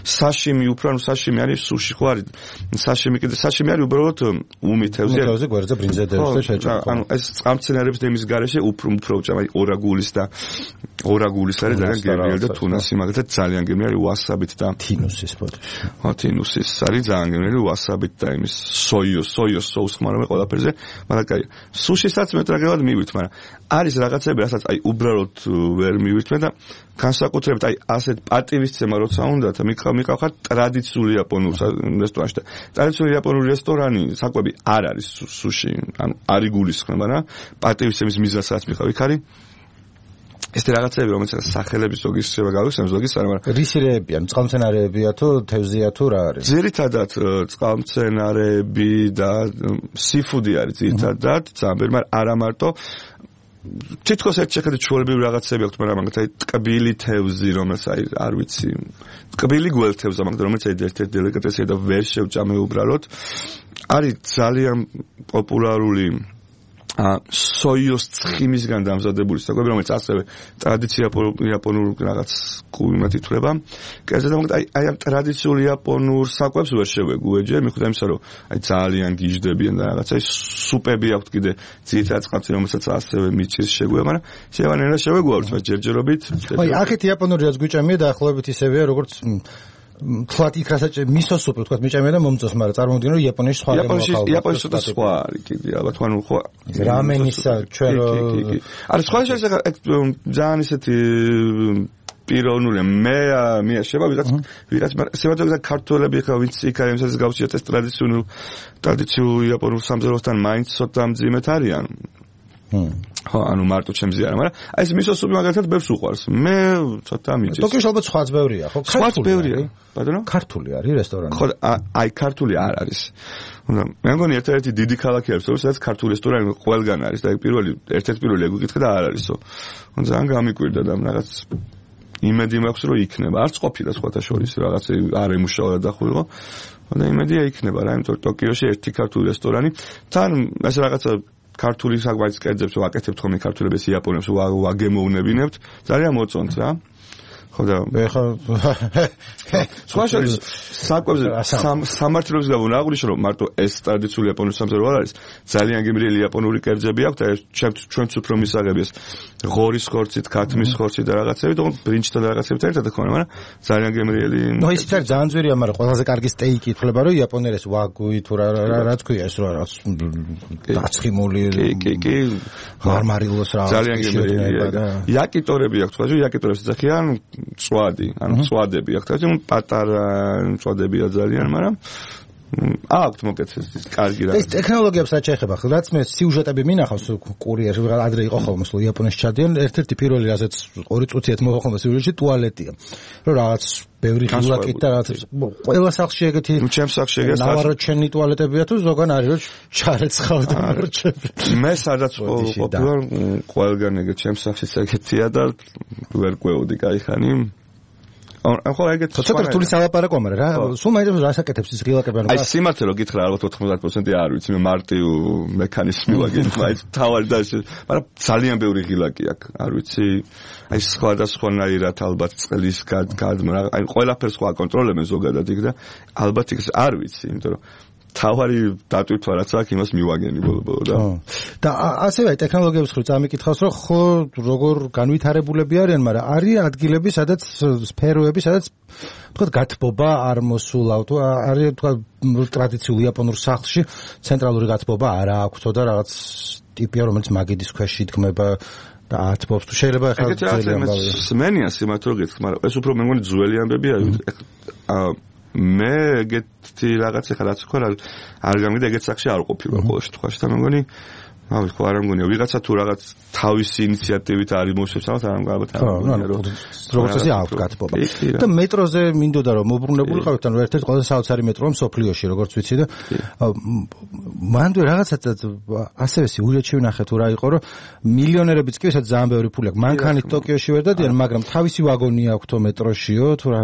საშიმი უფრო, ნუ საშიმი არის სუში ხო არის? საშიმი კიდე საშიმი არის უბრალოდ უმითევზე.
უმითევზე გვერდზე ბრინძა დევს და შეჭამ.
ანუ ეს წყალმცენარეების დემის garaშე უფრო უფრო ჭამ, აი ორაგულის და ორაგულის არის ძალიან გემრიელი და თუნასი მაგალითად ძალიან გემრიელი ვასაბით და
თინუსის პოტი.
ათინუსის არის ძალიან გემრიელი ვასაბით და იმის სოიოს სოიოს соуს ხმარობენ ყველაფერზე, მაგრამ კაი. სუშისაც მე ტრაგედიად მივით, მაგრამ არის რაღაცები, რასაც აი უბრალოდ ვერ მივით მე და განსაკუთრებით აი ასეთ პატივისცემა როცა უნდა და მიყავ მიყავ ტრადიციული იაპონური რესტორანში და ტრადიციული იაპონური რესტორანი საკვები არ არის სუში, ანუ არ იგულისხმება, მაგრამ პატივისცემის მიზანსაც მიყავ იქ არის ეს რაღაცები რომელიც სახელების ზოგის შევა გავიხსენებ ზოგის არა მაგრამ
რისირეები ან წყალმცენარეებია თუ თევზია თუ რა არის
ძირითადად წყალმცენარეები და სიფუდი არის ძირითადად ძალიან მაგრამ არა მარტო თითქოს ერთ შეხედვით ჩვეულებრივი რაღაცები აქვს მაგრამ მაგათ აი ტკბილი თევზი რომელიც აი არ ვიცი ტკბილი გველთევზა მაგრამ რომელიც აი ერთ-ერთი დელიკატესია და ვერ შევჭამე უბრალოდ არის ძალიან პოპულარული ა სოიოს ცხიმისგან დამზადებული საკვები რომელიც ასევე ტრადიციული იაპონურ რაღაც კულინარად ითვლება. კერძოდ მაგათ აი აი ამ ტრადიციული იაპონურ საკვებს ვერ შევეგუეჯე, მიხვდა იმისა რომ აი ძალიან გიჟდებიან და რაღაცა ის სუპები აქვს კიდე ძირითადად წყალში რომელსაც ასევე მიჭირს შეგვევა, მაგრამ შევანერა შევეგუავთ მაგრამ ჯერჯერობით.
აი აქეთ იაპონური რაც გვიჭამია დაახლოებით ისევეა როგორც თქვათ იქ რასაც მისო სუპი თქვათ მიჭამია და მომწონს, მაგრამ წარმოვიდგინე რომ იაპონიაში სხვა
გემოხალხა. იაპონიაში ცოტა სხვა არის კიდე, ალბათ ანუ ხო
რამენისა ჩვენ
არის სხვა შეიძლება ძალიან ისეთი პიროვნული მე მე შევა ვიღაც ვიღაც სევადოზე ქართველები ხა ვინც იქ არის ეს გავშიათ ეს ტრადიციული ტრადიციული იაპონურ სამზარეულოსთან მაინც ცოტა მძიმეთ არიან. ხო, ანუ მარტო ჩემზე არა, მაგრამ აი ეს მისო სუპი მაგალითად ბევრს უყვარს. მე ცოტა მიჭირს.
ტოკიოში ალბათ სხვაც ბევრია, ხო?
სხვაც ბევრია. ბატონო?
ქართული არის რესტორანი.
ხო, აი ქართული არ არის. უნდა მე მგონი ერთ-ერთი დიდი ქალაქი არის, სადაც ქართული რესტორანი ყველგან არის და პირველი ერთ-ერთი პირველი ეგ და არ არისო. უნდა ძალიან გამიკვირდა და რაღაც იმედი მაქვს რომ იქნება. არც ყოფილა სხვათა შორის რაღაც არ ემუშავა დახულიყო. და იმედია იქნება რა, იმიტომ რომ ტოკიოში ერთი ქართული რესტორანი თან ეს რაღაცა ქართული საკვების კერძებს ვაკეთებთ ხოლმე ქართულებს იაპონებს ვაგემოვნებინებთ ძალიან მოწონთ რა ხო და
ეხა
სხვა შორის საკვებზე სამართლებს გავუნა აღვნიშნო რომ მარტო ეს ტრადიციული იაპონური სამზარეულო არ არის ძალიან გემრიელი იაპონური კერძები აქვს და ჩვენც უფრო მისაღები ეს ღორის ხორცით, ქათმის ხორცით და რაღაცებით, თუმცა ბრინჯთან და რაღაცებით ერთად ხონა, მაგრამ ძალიან გემრიელი.
ნუ ის თერ ძალიან ძვირია, მაგრამ ყველაზე კარგი სტეიკი ითვლება, რომ იაპონელებს ვაგუი თუ რა რა თქვია ეს რა რა დაცხიმული
კი კი
მარმარილოს რა
ძალიან გემრიელია და იაკიტორები აქვს, ხო, იაკიტორებს ეძახიან წვადი, ანუ წვადები აქვს, თუმცა პატარა წვადებია ძალიან, მაგრამ აქვთ მოკეთეს კარგი რა.
ეს ტექნოლოგიებს რაც შეეხება, რაც მე სიუჟეტები მინახავს კურიერში, ადრე იყო ხოლმე სულ იაპონიაში ჩადიან, ერთ-ერთი პირველი რასაც ორი წუთიათ მოხდა ხოლმე სიუჟეტში ტუალეტია. რომ რაღაც ბევრი ხილაკით და რაღაც ყველა სახლში ეგეთი
ნუ ჩემს სახლში ეგეთი
ნავაროჩენი ტუალეტებია თუ ზოგან არის რომ ჩარეცხავდა მარჩები.
მე სადაც ყოფილვარ ყველგან ეგეთ ჩემს სახლში ეგეთია და ვერ ყვეოდი кай ხანი. ხო ეგეთ
ცოტა რთული სალაპარაკო მაგრამ რა სულ მაინც რასაკეთებს ის ღილაკები
აი სიმართლე რო გითხრა ალბათ ოთხმოცდაათი პროცენტი არ ვიცი მე მარტივ მექანიზმი ვაგენ მაინც თავარი და მაგრამ ძალიან ბევრი ღილაკი აქვს არ ვიცი აი სხვადასხვანაირად ალბათ წყლის გადმრა აი ყველაფერს სხვა აკონტროლებენ ზოგადად იქ და ალბათ იქ არ ვიცი იმიტომ რომ თავარი დატვირთვა რაც აქვს იმას მივაგენი ბოლო-ბოლო და
და ასევე ტექნოლოგიების ხრი წამიკითხავს რომ ხო როგორ განვითარებულები არიან მაგრამ არის ადგილები სადაც სფეროები სადაც თქვა გათბობა არ მოსულა თუ არის თქვა ტრადიციულ იაპონურ სახლში ცენტრალური გათბობა არ აქვს და რაღაც ტიპია რომელიც მაგიდის ქვეშ იდგმება და ათბობს თუ შეიძლება ახლა ძალიან გავიგე
სმენია სიმართლე რომ გითხრა მაგრამ ეს უფრო მე მგონი ძველი ამბები არის მე ეგეთი რაღაც ახლა რაც ხო არ გამიგდა ეგეთ სახში არ ყოფილა ყოველ შემთხვევაში და მე მგონი ავი ხო არ მგონია ვიღაცა თუ რაღაც თავისი ინიციატივით არის მოსწევს ალბათ არ მგონია
ალბათ როგორც ესე აქვს გათბობა და მეტროზე მინდოდა რომ მოbrunებულიყავით ანუ ერთ-ერთი ყველაზე საოცარი მეტროა მსოფლიოში როგორც ვიცი და მანდ რაღაცა ასევე სიუჟეტში ვნახე თუ რა იყო რომ მილიონერებიც კი ვისაც ძალიან ბევრი ფული აქვს მანქანით ტოკიოში ვერ დადიან მაგრამ თავისი ვაგონი აქვს თო მეტროშიო თუ რა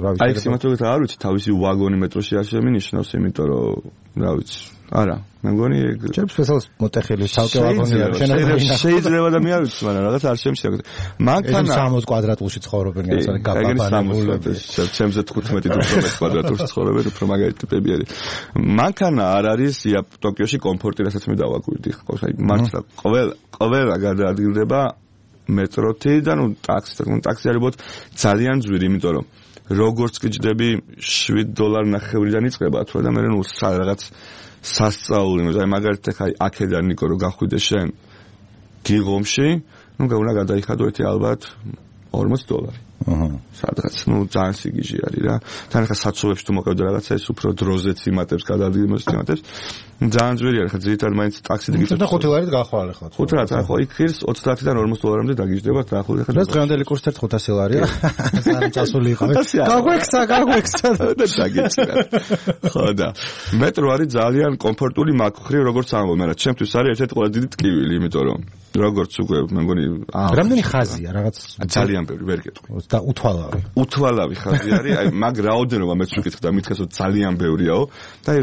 რა ვიცი
აი სიმართლე არ ვიცი თავისი ვაგონი მეტროში არ შემინიშნავს იმიტომ რომ რა ვიცი არა მე მგონი
ჩემს სპეციალს მოტეხილი ცალკე ვაგონი არის
შეიძლება შეიძლება და მე არ ვიცი მაგრამ რაღაც არ შემიძლია მანქანა
სამოცდაოთხ კვადრატულში ცხოვრობენ რაღაცა გაბაბანებული
ჩემზე თხუთმეტი დუხმეტ კვადრატულში ცხოვრობენ უფრო მაგარი ტიპები არის მანქანა არ არის ტოკიოში კომფორტი რასაც მე დავაკვირდი ხო აი მართლა ყოველ ყველა გადაადგილდება მეტროთი და ნუ ტაქსი და ტაქსი არის ძალიან ძვირი იმიტომ რომ როგორც გიჯდები შვიდ დოლარ ნახევრიდან იწყება თუ და მე ნუ რაღაც სასწაული მე მაგალითად აი აქედან ნიკო რო გახვიდე შენ გიღომში ნუ გაუნა გადაიხადო ერთი ალბათ ორმოც დოლარი აჰა სადღაც ნუ ძალიან სიგიჟე არის რა თან ხა საცოვებში თუ მოყევდა რაღაცა ეს უფრო დროზეც იმატებს გადაადგილებას იმატებს ძალიან ძვირი არის ხა ძირითადად მაინც ტაქსით გიწევს
და ხუთი ლარით გახვალე ხა
ხუთი ლარით ხო იქ ხირს ოცდაათიდან ორმოც დოლარამდე დაგიჯდება დაახლოებით ხა
და დღევანდელი კურსი ერთ ხუთასი ლარია ძალიან წასული იყავ გაგვექცა გაგვექცა
და დაგიჭირა ხო და მეტრო არის ძალიან კომფორტული მაგხრი როგორც ამბობ მაგრამ ჩემთვის არის ერთ-ერთი ყველაზე დიდი ტკივილი იმიტომ რომ როგორც უკვე მე მგონი
რამდენი ხაზია რაღაც
ძალიან ბევრი ვერ გეტყვი
და უთვალავი
უთვალავი ხაზი არის აი მაგ რაოდენობა მეც ვიკითხე და მითხეს რომ ძალიან ბევრიაო და აი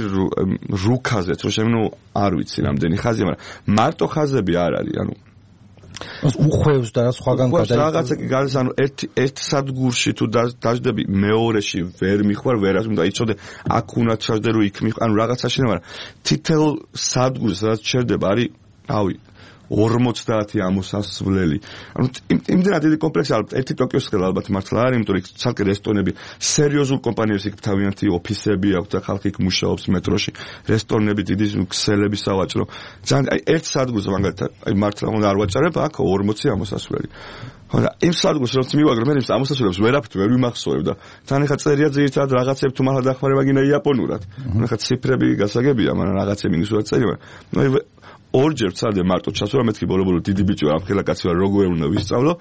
რუკაზეც რომ შემნო არ ვიცი რამდენი ხაზია მაგრამ მარტო ხაზები არ არის ანუ
უხვევს და სხვაგან
გადაი რაღაცა კი გადის ანუ ერთ ერთ სადგურში თუ დაждები მეორეში ვერ მიხვარ ვერას უნდა იცოდე აქ უნდა ჩავდე რომ იქ მიხვარ ანუ რაღაცაში მაგრამ თითელ სადგურს რაც ჩერდება არის ავი ორმოცდაათი ამოსასვლელი. ანუ იმდენად დიდი კომპლექსი ალბათ ერთი ტოკიოს ხელა ალბათ მართლა არის, იმიტომ რომ იქ ცალკე რესტორნები, სერიოზულ კომპანიებს იქ თავიანთი ოფისები აქვს და ხალხი იქ მუშაობს მეტროში, რესტორნები, დიდი ქსელები სავაჭრო. ძალიან აი ერთ სადგურს მაგალითად, აი მართლა უნდა არ ვაჭარებ, აქ ორმოცი ამოსასვლელი. ხო და იმ სადგურს რაც მივაგრო მე იმ ამოსასვლელებს ვერაფრით ვერ ვიმახსოვებ და თან ეხა წერია ძირითადად რაღაცებს თუ მართლა დახმარება გინდა იაპონურად. ეხა ციფრები გასაგებია, მაგრამ რაღაცები მინუსურად წერია. ნუ ორჯერ ვცადე მარტო ჩასვლა, მეთქი ბოლო-ბოლო დიდი ბიჭი ვარ, ამხელა კაცი ვარ, როგორ უნდა ვისწავლო.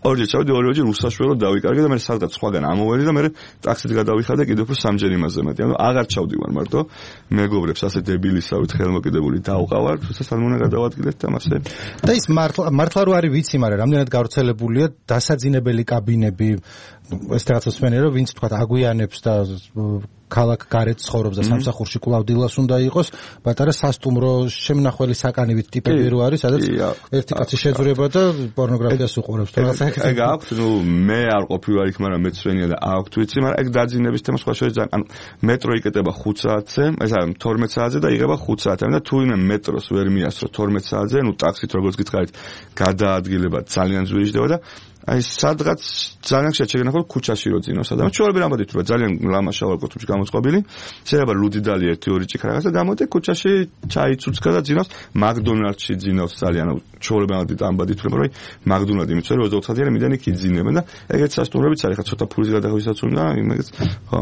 ორჯერ ჩავდი, ორივეჯერ უსაშველოდ დავიკარგე და მე სადღაც სხვაგან ამოვედი და მე ტაქსით გადავიხადე კიდევ უფრო სამჯერ იმაზე მეტი. ანუ აღარ ჩავდივარ მარტო. მეგობრებს ასე დებილისავით ხელმოკიდებული დავყავარ, თუმცა სალმონა გადავადგილეთ და მასე.
და ის მართლა მართლა რო არის ვიცი, მაგრამ რამდენად გავრცელებულია დასაძინებელი კაბინები, ეს რაღაცა სვენე რომ ვინც თქვა აგვიანებს და ქალაქ გარეთ ცხოვრობს და სამსახურში კვლავ დილას უნდა იყოს, პატარა სასტუმრო შემნახველი საკანივით ტიპები რო არის, სადაც ერთი კაცი შეძვრება და პორნოგრაფიას უყურებს.
ეგ აქვს, ნუ მე არ ყოფილვარ იქ, მაგრამ მეც სვენია და აქვს ვიცი, მაგრამ ეგ დაძინების თემა სხვა შეიძლება ძალიან, ანუ მეტრო იკეტება ხუთ საათზე, ეს არის თორმეტ საათზე და იღება ხუთ საათამდე და თუ ვინმე მეტროს ვერ მიასწრო თორმეტ საათზე, ნუ ტაქსით როგორც გითხარით, გადაადგილება ძალიან ზვიჟდება და აი სადღაც ძალიან შეჩეგნახო ქუჩაში რო ძინავს ადამიანი. ჩვეულებრივ ამბობთ რომ ძალიან ლამაშა ვარ კოთუმში გამოწყობილი. შეიძლება ლუდიდალი ერთი ორი ჭიქა რაღაცა გამოდი ქუჩაში ჩაი ცუცკა და ძინავს. მაკდონალდში ძინავს ძალიან ჩვეულებრივ ამბობთ რომ მაკდონალდი მიწვე რომ ოცდაოთხ საათიანი მიდანი კი ძინებენ და ეგეთ სასტუმროებიც არის ხა ცოტა ფულის გადახვისაც უნდა იმეც ხო.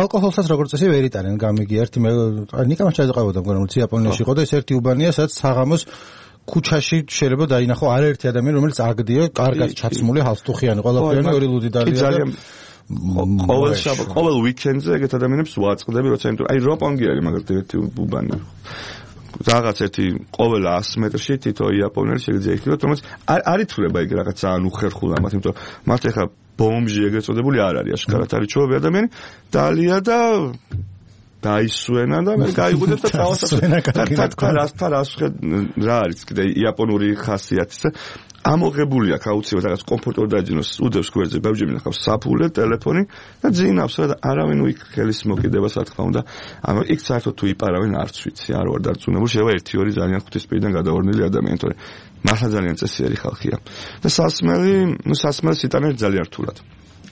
ალკოჰოლსაც როგორც წესი ვერ იტანენ გამიგი ერთი მე ნიკამ ჩაიწყებოდა მგონი რომ იაპონიაში იყო და ეს ერთი უბანია სადაც საღამოს ქუჩაში შეიძლება დაინახო არაერთი ადამიანი რომელიც აგდია კარგად ჩაცმული ჰალსტუხიანი ყველაფერი ორი ლუდი დალია
ძალიან ყოველ შაბათ ყოველ უიკენდზე ეგეთ ადამიანებს ვაწყდები როცა იმიტომ აი როპონგი არის მაგალითად ერთი უბანი რაღაც ერთი ყოველ ას მეტრში თითო იაპონელი შეიძლება იქნებოდა, რომელიც არ ითვლება ეგ რაღაც ძალიან უხერხულ ამათ, იმიტომ რომ მათ ეხა ბომჟი ეგრეთ წოდებული არ არის, აშკარად არის ჩვევები ადამიანი, დალია და დაისვენა და მე გაიგუდებ და წავასწრებ. თათქა რასთან რასხე რა არის კიდე იაპონური ხასიათი. ამოღებული აქვს აუცილებლად რაღაც კომფორტულად დაიჯინოს, უდევს გვერდზე, ბევრჯერ მინახავს საფულე, ტელეფონი და ძინავს რა და არავინ უიქ ხელის მოკიდებას რა თქმა უნდა. ანუ იქ საერთოდ თუ იპარავენ არც ვიცი, არ ვარ დარწმუნებული, შეიძლება ერთი ორი ძალიან ხვთვის პირიდან გადავარდნილი ადამიანი, თორე მართლა ძალიან წესიერი ხალხია. და სასმელი, ნუ სასმელს იტანენ ძალიან რთულად.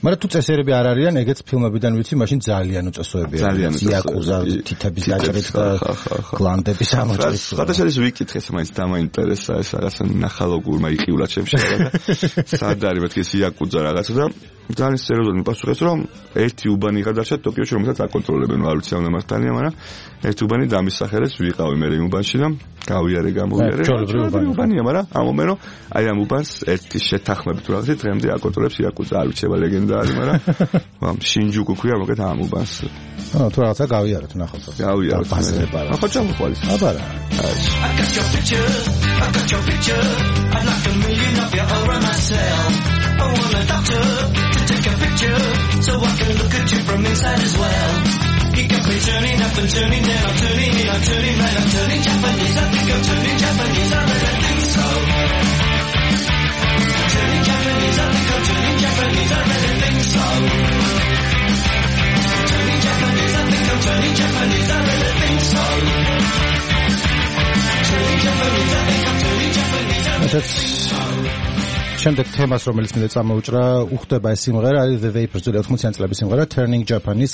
მაგრამ თუ წესერები არ არიან, ეგეც ფილმებიდან ვიცი, მაშინ ძალიან უწესოებია. იაკუზა, თითების დაჭრით და გლანდების ამოჭრით.
გადაშელის ვიკითხე, მაინც დამაინტერესა ეს რაღაცა ნახალოგურმა იყივრა ჩემში რაღაცა. სად არის მეთქი ეს იაკუზა რაღაცა და ძალიან სერიოზულად მიპასუხეს, რომ ერთი უბანი გადარჩა ტოკიოში, რომელსაც აკონტროლებენ, არ ვიცი ამ მართალია, მაგრამ ერთი უბანი დამისახელეს, ვიყავი მე იმ უბანში და გავიარე გამოვიარე. ჩვეულებრივი უბანია, მაგრამ ამომენო აი ამ უბანს ერთი შეთანხმებით რაღაცა დღემდე აკონტროლებს იაკუზა, არ ვიცება ლეგენდა არის, მაგრამ ამ შინჯუკუ ქვია მოგეთ ამ უბანს.
აა თუ რაღაცა გავიარეთ ნახოთ.
გავიარეთ. ახლა ჩამოყვალის.
აბარა.
I got your picture, I got your picture. I'd like a million of you around myself. I want a doctor to take a picture so I can look at you from inside as well. You got me turning up and turning down, I'm turning in, I'm turning right, I'm turning Japanese. I think I'm turning Japanese, I really think so. Turning Japanese, I think I'm turning Japanese, I really think so. Turning Japanese, I think I'm turning Japanese, I really think so. Turning Japanese, I think I'm turning Japanese, I really think so.
შემდეგ თემას, რომელიც მე წამოუჭრა, უხდება ეს სიმღერა, არის The Vapors, ოთხმოციანი წლების სიმღერა, Turning Japanese.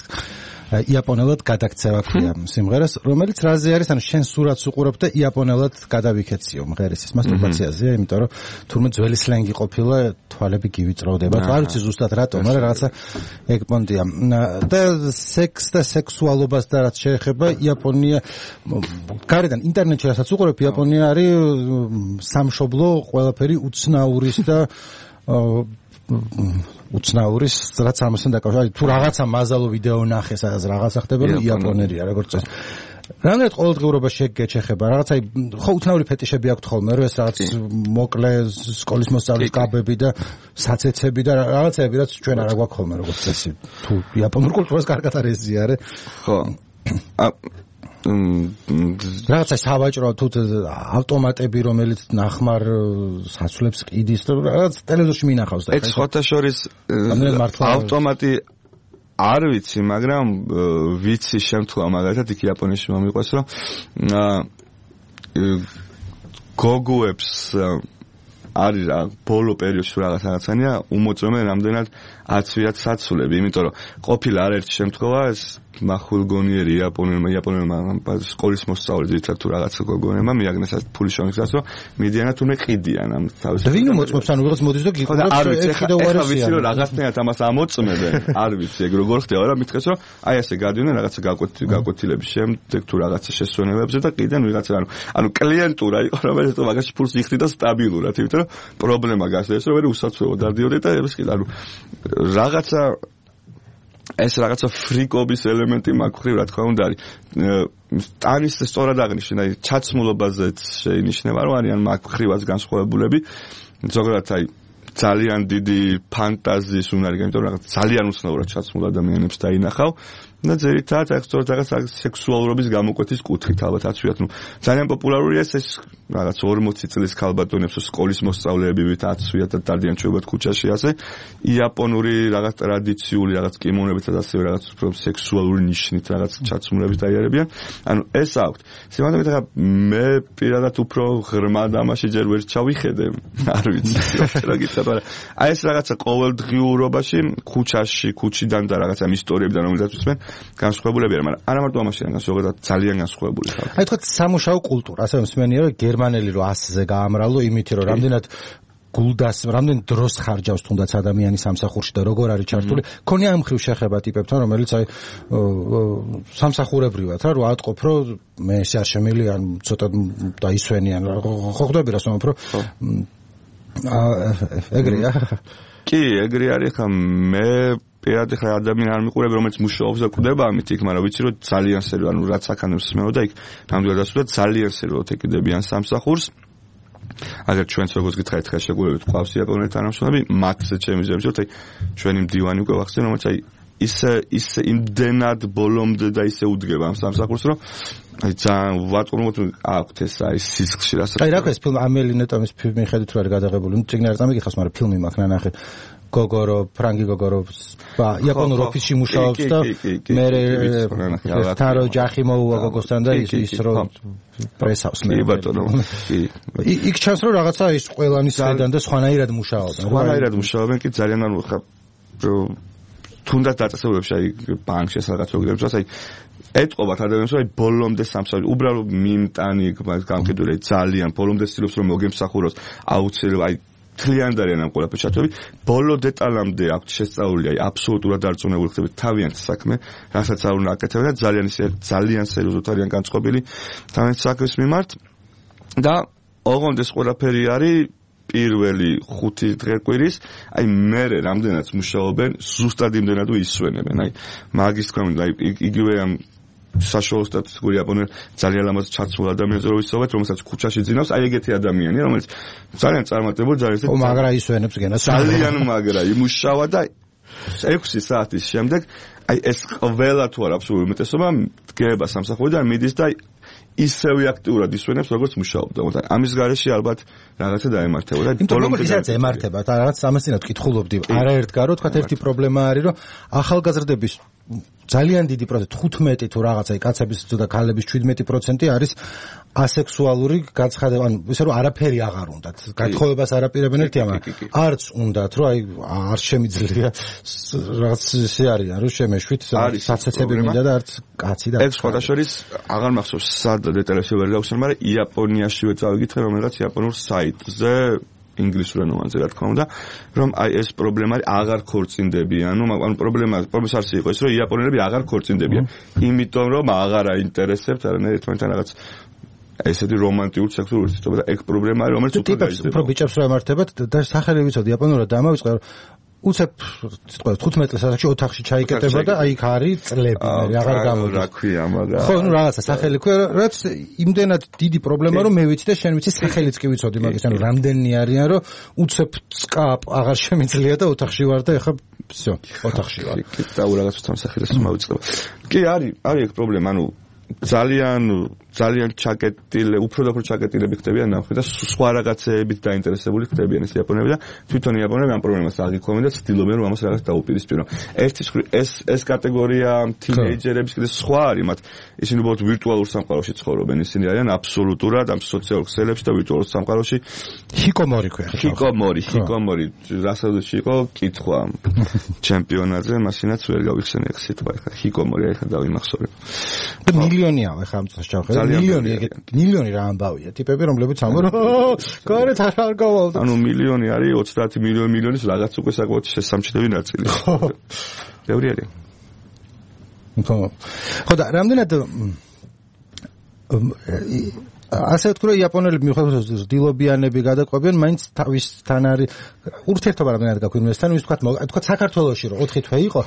იაპონელად გადაქცევა ქვია სიმღერას, რომელიც რაზე არის, ანუ შენ სურათს უყურებ და იაპონელად გადავიქეციო მღერის ის მასტურბაციაზეა, იმიტომ რომ თურმე ძველი სლენგი ყოფილა, თვალები გივიწროვდება. არ ვიცი ზუსტად რატომ, მაგრამ რაღაცა ეგ პონტია. და სექს და სექსუალობას და რაც შეეხება იაპონია, გარედან ინტერნეტში რასაც უყურებ, იაპონია არის სამშობლო, ყველაფერი უცნაურის და უცნაურის რაც ამასთან დაკავშირებით. თუ რაღაცა მაზალო ვიდეო ნახე, სადაც რაღაცა ხდება, რომ იაპონელია, როგორც წესი. რამდენად ყოველდღიურობაში შეგეჩეხება, რაღაცა ხო უცნაური ფეტიშები აქვთ ხოლმე, რომ ეს რაღაც მოკლე სკოლის მოსწავლის კაბები და საცეცები და რაღაცები, რაც ჩვენ არ გვაქვს ხოლმე, როგორც წესი. თუ იაპონურ კულტურას კარგად არ ეზიარე.
ხო.
რაღაცა სავაჭრო თუ ავტომატები, რომელიც ნახმარ საცვლებს ყიდის და რაღაც ტელევიზორში მინახავს და
ეგ სხვათა შორის ავტომატი არ ვიცი, მაგრამ ვიცი შემთხვევა მაგალითად იქ იაპონიაში მომიყვეს, რომ გოგოებს არის რა ბოლო პერიოდში რაღაც რაღაცანია უმოწმენ რამდენად აცვიათ საცვლები, იმიტომ რომ ყოფილა არაერთი შემთხვევა ეს მახვილგონიერი იაპონელმა იაპონელმა სკოლის მოსწავლე ძირითადად თუ რაღაცა გოგონებმა მიაგნეს ეს ფული შონიხსაც, რომ მიდიანად თუნე ყიდიან ამ თავის.
ვინ უმოწმებს, ანუ ვიღაც მოდის და გიყურებს,
არ ვიცი, ეხლა ეხლა ვიცი რომ რაღაცნაირად ამას ამოწმებენ, არ ვიცი ეგ როგორ ხდება, რა მითხეს რომ აი ასე გადიოდნენ რაღაცა გაკვეთილების შემდეგ თუ რაღაცა შესვენებებზე და ყიდენ ვიღაცა, ანუ ანუ კლიენტურა იყო, რომელიც თუ მაგაში ფულს იხდიდა სტაბილურად, იმიტომ რომ პრობლემა გასდეს, რომ ვერ უსაცვლელად დადიოდი და ეს კი ანუ რაღაცა ეს რაღაცა ფრიკობის ელემენტი მაქვს, რა თქმა უნდა არის. ტანის სწორად აღნიშნა, აი ჩაცმულობაზეც შეინიშნება, რომ არიან მაქვრივაც განსხვავებულები. ზოგადად აი ძალიან დიდი ფანტაზიის უნარი, იმიტომ რომ რაღაც ძალიან უცნაურად ჩაცმულ ადამიანებს დაინახავ. და ძირითადად აი სწორად რაღაც სექსუალურობის გამოკვეთის კუთხით ალბათ აცვიათ. ნუ ძალიან პოპულარულია ეს რაღაც ორმოცი წლის ქალბატონებს სკოლის მოსწავლეები ვით აცვიათ და დადიან ჩვეულებრივ ქუჩაში ასე. იაპონური რაღაც ტრადიციული რაღაც კიმონებით და ასევე რაღაც უფრო სექსუალური ნიშნით რაღაც ჩაცმულებით დაიარებიან. ანუ ეს აქვთ. სიმართლე მითხრა მე პირადად უფრო ღრმა დამაში ჯერ ვერ ჩავიხედე. არ ვიცი რა გითხრა, მაგრამ აი ეს რაღაცა ყოველდღიურობაში ქუჩაში, ქუჩიდან და რაღაცა ამ ისტორიებიდან რომელსაც ვისმენ განსხვავებულები არა, მაგრამ არა მარტო ამაშია, ზოგადად ძალიან განსხვავებული ხალხი.
აი თქვა სამუშაო კულტურა, ასე მსმენია, რომ გერმანელი რო ასზე გაამრავლო, იმითი რომ რამდენად გულდას, რამდენ დროს ხარჯავს თუნდაც ადამიანი სამსახურში და როგორ არის ჩართული, ქონია ამ ხრივ შეხება ტიპებთან, რომელიც აი სამსახურებრივად რა, რო ატყობ, რომ მე ეს არ შემილი, ან ცოტა დაისვენიან, ხო ხვდები რა სვამობ, რომ აა ეგრეა.
კი, ეგრე არის, ხა მე პირადად ხა ადამიანი არ მიყურებ რომელიც მუშაობს და კვდება ამით იქ, მაგრამ ვიცი რომ ძალიან სერიოზულად ანუ რაც აქანებს მეო და იქ ნამდვილად ასულა ძალიან სერიოზულად ეკიდებიან სამსახურს. აგერ ჩვენც როგორც გითხარით ხა შეგულებით ყავს იაპონელი თანამშრომლები, მათზე ჩემი ზევი რომ აი ჩვენი მდივანი უკვე ვახსენე, რომელიც აი ისე ისე იმდენად ბოლომდე და ისე უდგება ამ სამსახურს რომ აი ძალიან ვატყუროთ აქვთ ეს აი სისხლში რასაც.
აი რა ქვია ეს ფილმი ამელი ნეტომის ფილმი ხედით რა არის გადაღებული. ნუ წიგნი არ წამიგიხავს, მაგრამ ფილმი მაქვს ნანახი. გოგორო, ფრანგი გოგორო იაპონურ ოფისში მუშაობს და მე თარო ჯახი მოუვა გოგოსთან და ის ის რომ პრესავს მე.
კი ბატონო. კი.
იქ ჩანს რომ რაღაცა ის ყველანი სედან და სხვანაირად მუშაობენ.
სხვანაირად მუშაობენ კი ძალიან ანუ ხა თუნდაც დაწესებულებში აი ბანკში სადღაც როგებს აი ეთყობათ ადამიანს რომ აი ბოლომდე სამსახური უბრალოდ მიმტანი გამყიდული ძალიან ბოლომდე ცდილობს რომ მოგემსახუროს აუცილებლად აი თლიანი არიან ამ ყველაფერს ჩათვლები ბოლო დეტალამდე აქვთ შესწავლილი აი აბსოლუტურად დარწმუნებული ხდებით თავიანთ საქმე რასაც არ უნდა აკეთებენ და ძალიან ძალიან სერიოზულად არიან განწყობილი თავიანთ საქმის მიმართ და ოღონდ ეს ყველაფერი არის პირველი ხუთი დღე-კვირის, აი მერე რამდენად მუშაობენ, ზუსტად იმდენად ისვენებენ. აი მაგის თქმა უნდა, აი იგივე ამ საშუალო სტატისტიკური იაპონელი ძალიან ლამაზ ჩაცმულ ადამიანზე რო ვისაუბრეთ, რომელსაც ქუჩაში ძინავს, აი ეგეთი ადამიანია, რომელიც ძალიან წარმატებული, ძალიან
ო მაგრა ისვენებს გენას.
ძალიან მაგრა იმუშავა და ექვსი საათის შემდეგ აი ეს ყველა თუ არა აბსოლუტური უმეტესობა დგება სამსახურიდან მიდის და ისევე აქტიურად ისვენებს როგორც მუშაობდა. ამის გარეშე ალბათ რაღაცა დაემართებოდა.
ბოლომდე ისაც ემართება და რაღაც ამასინად ვკითხულობდი. არაერთგარო თქვა ერთი პრობლემა არის რომ ახალგაზრდების ძალიან დიდი პროცენტი თხუთმეტი თუ რაღაცა კაცების და ქალების შვიდმეტი პროცენტი არის ასექსუალური გაცხადება, ანუ ისე რომ არაფერი აღარ უნდათ. გათხოვებას არაპირებენ ერთია, მაგრამ არც უნდათ, რომ აი არ შემიძლია რაღაც ისე არის, რომ შემეშვით საცეცები მინდა და არც კაცი და
ეს სხვა შორის აღარ მახსოვს სად დეტალებში ვერ გავხსენ, მაგრამ იაპონიაშივე წავიკითხე რომელიღაც იაპონურ საიტზე ინგლისურ ენაზე რა თქმა უნდა, რომ აი ეს პრობლემა აღარ ქორწინდებიან, ანუ ანუ პრობლემა პრობლემა არის იყო ის, რომ იაპონელები აღარ ქორწინდებიან, იმიტომ რომ აღარ აინტერესებთ არანაირ ერთმანეთთან რაღაც ესეთი რომანტიკურ სექსუალური ურთიერთობა და ეგ პრობლემა არის, რომელიც უფრო გაიზრდება.
უფრო ბიჭებს რა ემართებათ და სახელი ვიცოდი იაპონურად დამავიწყე, რომ უცებ თქვა თხუთმეტ წელს ოთახში ჩაიკეტება და აი იქ არის წლები, მე აღარ გამოდის.
რა ქვია, მაგრამ
ხო, ნუ რაღაცა სახელი ქვია, რაც იმდენად დიდი პრობლემა რომ მე ვიცი და შენ ვიცი სახელიც კი ვიცოდი მაგის, ანუ რამდენი არიან რომ უცებ წკა აღარ შემიძლია და ოთახში ვარ და ეხა всё, ოთახში ვარ.
კი, და რაღაც თამ სახელს მოვიწყდება. კი, არის, არის ეგ პრობლემა, ანუ ძალიან ძალიან ჩაკეტილი, უფრო და უფრო ჩაკეტილები ხდებიან ნახე და სხვა რაღაცეებით დაინტერესებული ხდებიან ეს იაპონელები და თვითონ იაპონელები ამ პრობლემას აღიქვამენ და ცდილობენ რომ ამას რაღაც დაუპირისპირონ. ერთის ეს ეს კატეგორია თინეიჯერების კიდე სხვა არის, მათ ისინი უბრალოდ ვირტუალურ სამყაროში ცხოვრობენ, ისინი არიან აბსოლუტურად ამ სოციალურ ქსელებში და ვირტუალურ სამყაროში.
ჰიკომორი ქვია.
ჰიკომორი, ჰიკომორი, რასაც იყო კითხვა ჩემპიონატზე, მაშინაც ვერ გავიხსენე ეს სიტყვა, ხა ჰიკომორი ახლა დავიმახსოვრე.
და მილიონია ახლა ამ წელს ჩავხედე. მილიონი ეგეთ მილიონი რა ამბავია. ტიპები რომლებიც ამბობენ, გარეთ არ არ გავალდა.
ანუ მილიონი არის ოცდაათი მილიონი მილიონის რაღაც უკვე საკმაოდ შესამჩნევი ნაწილი. ბევრი არის.
ხო. ხო და რამდენად ასე ვთქვი, იაპონელები მიუხედავად დილობიანები გადაყვებიან, მაინც თავისთან არის ურთიერთობა რამდენად გაქვთ ინვესთან, ის თქვა, თქვა საქართველოში რომ ოთხი თვე იყო,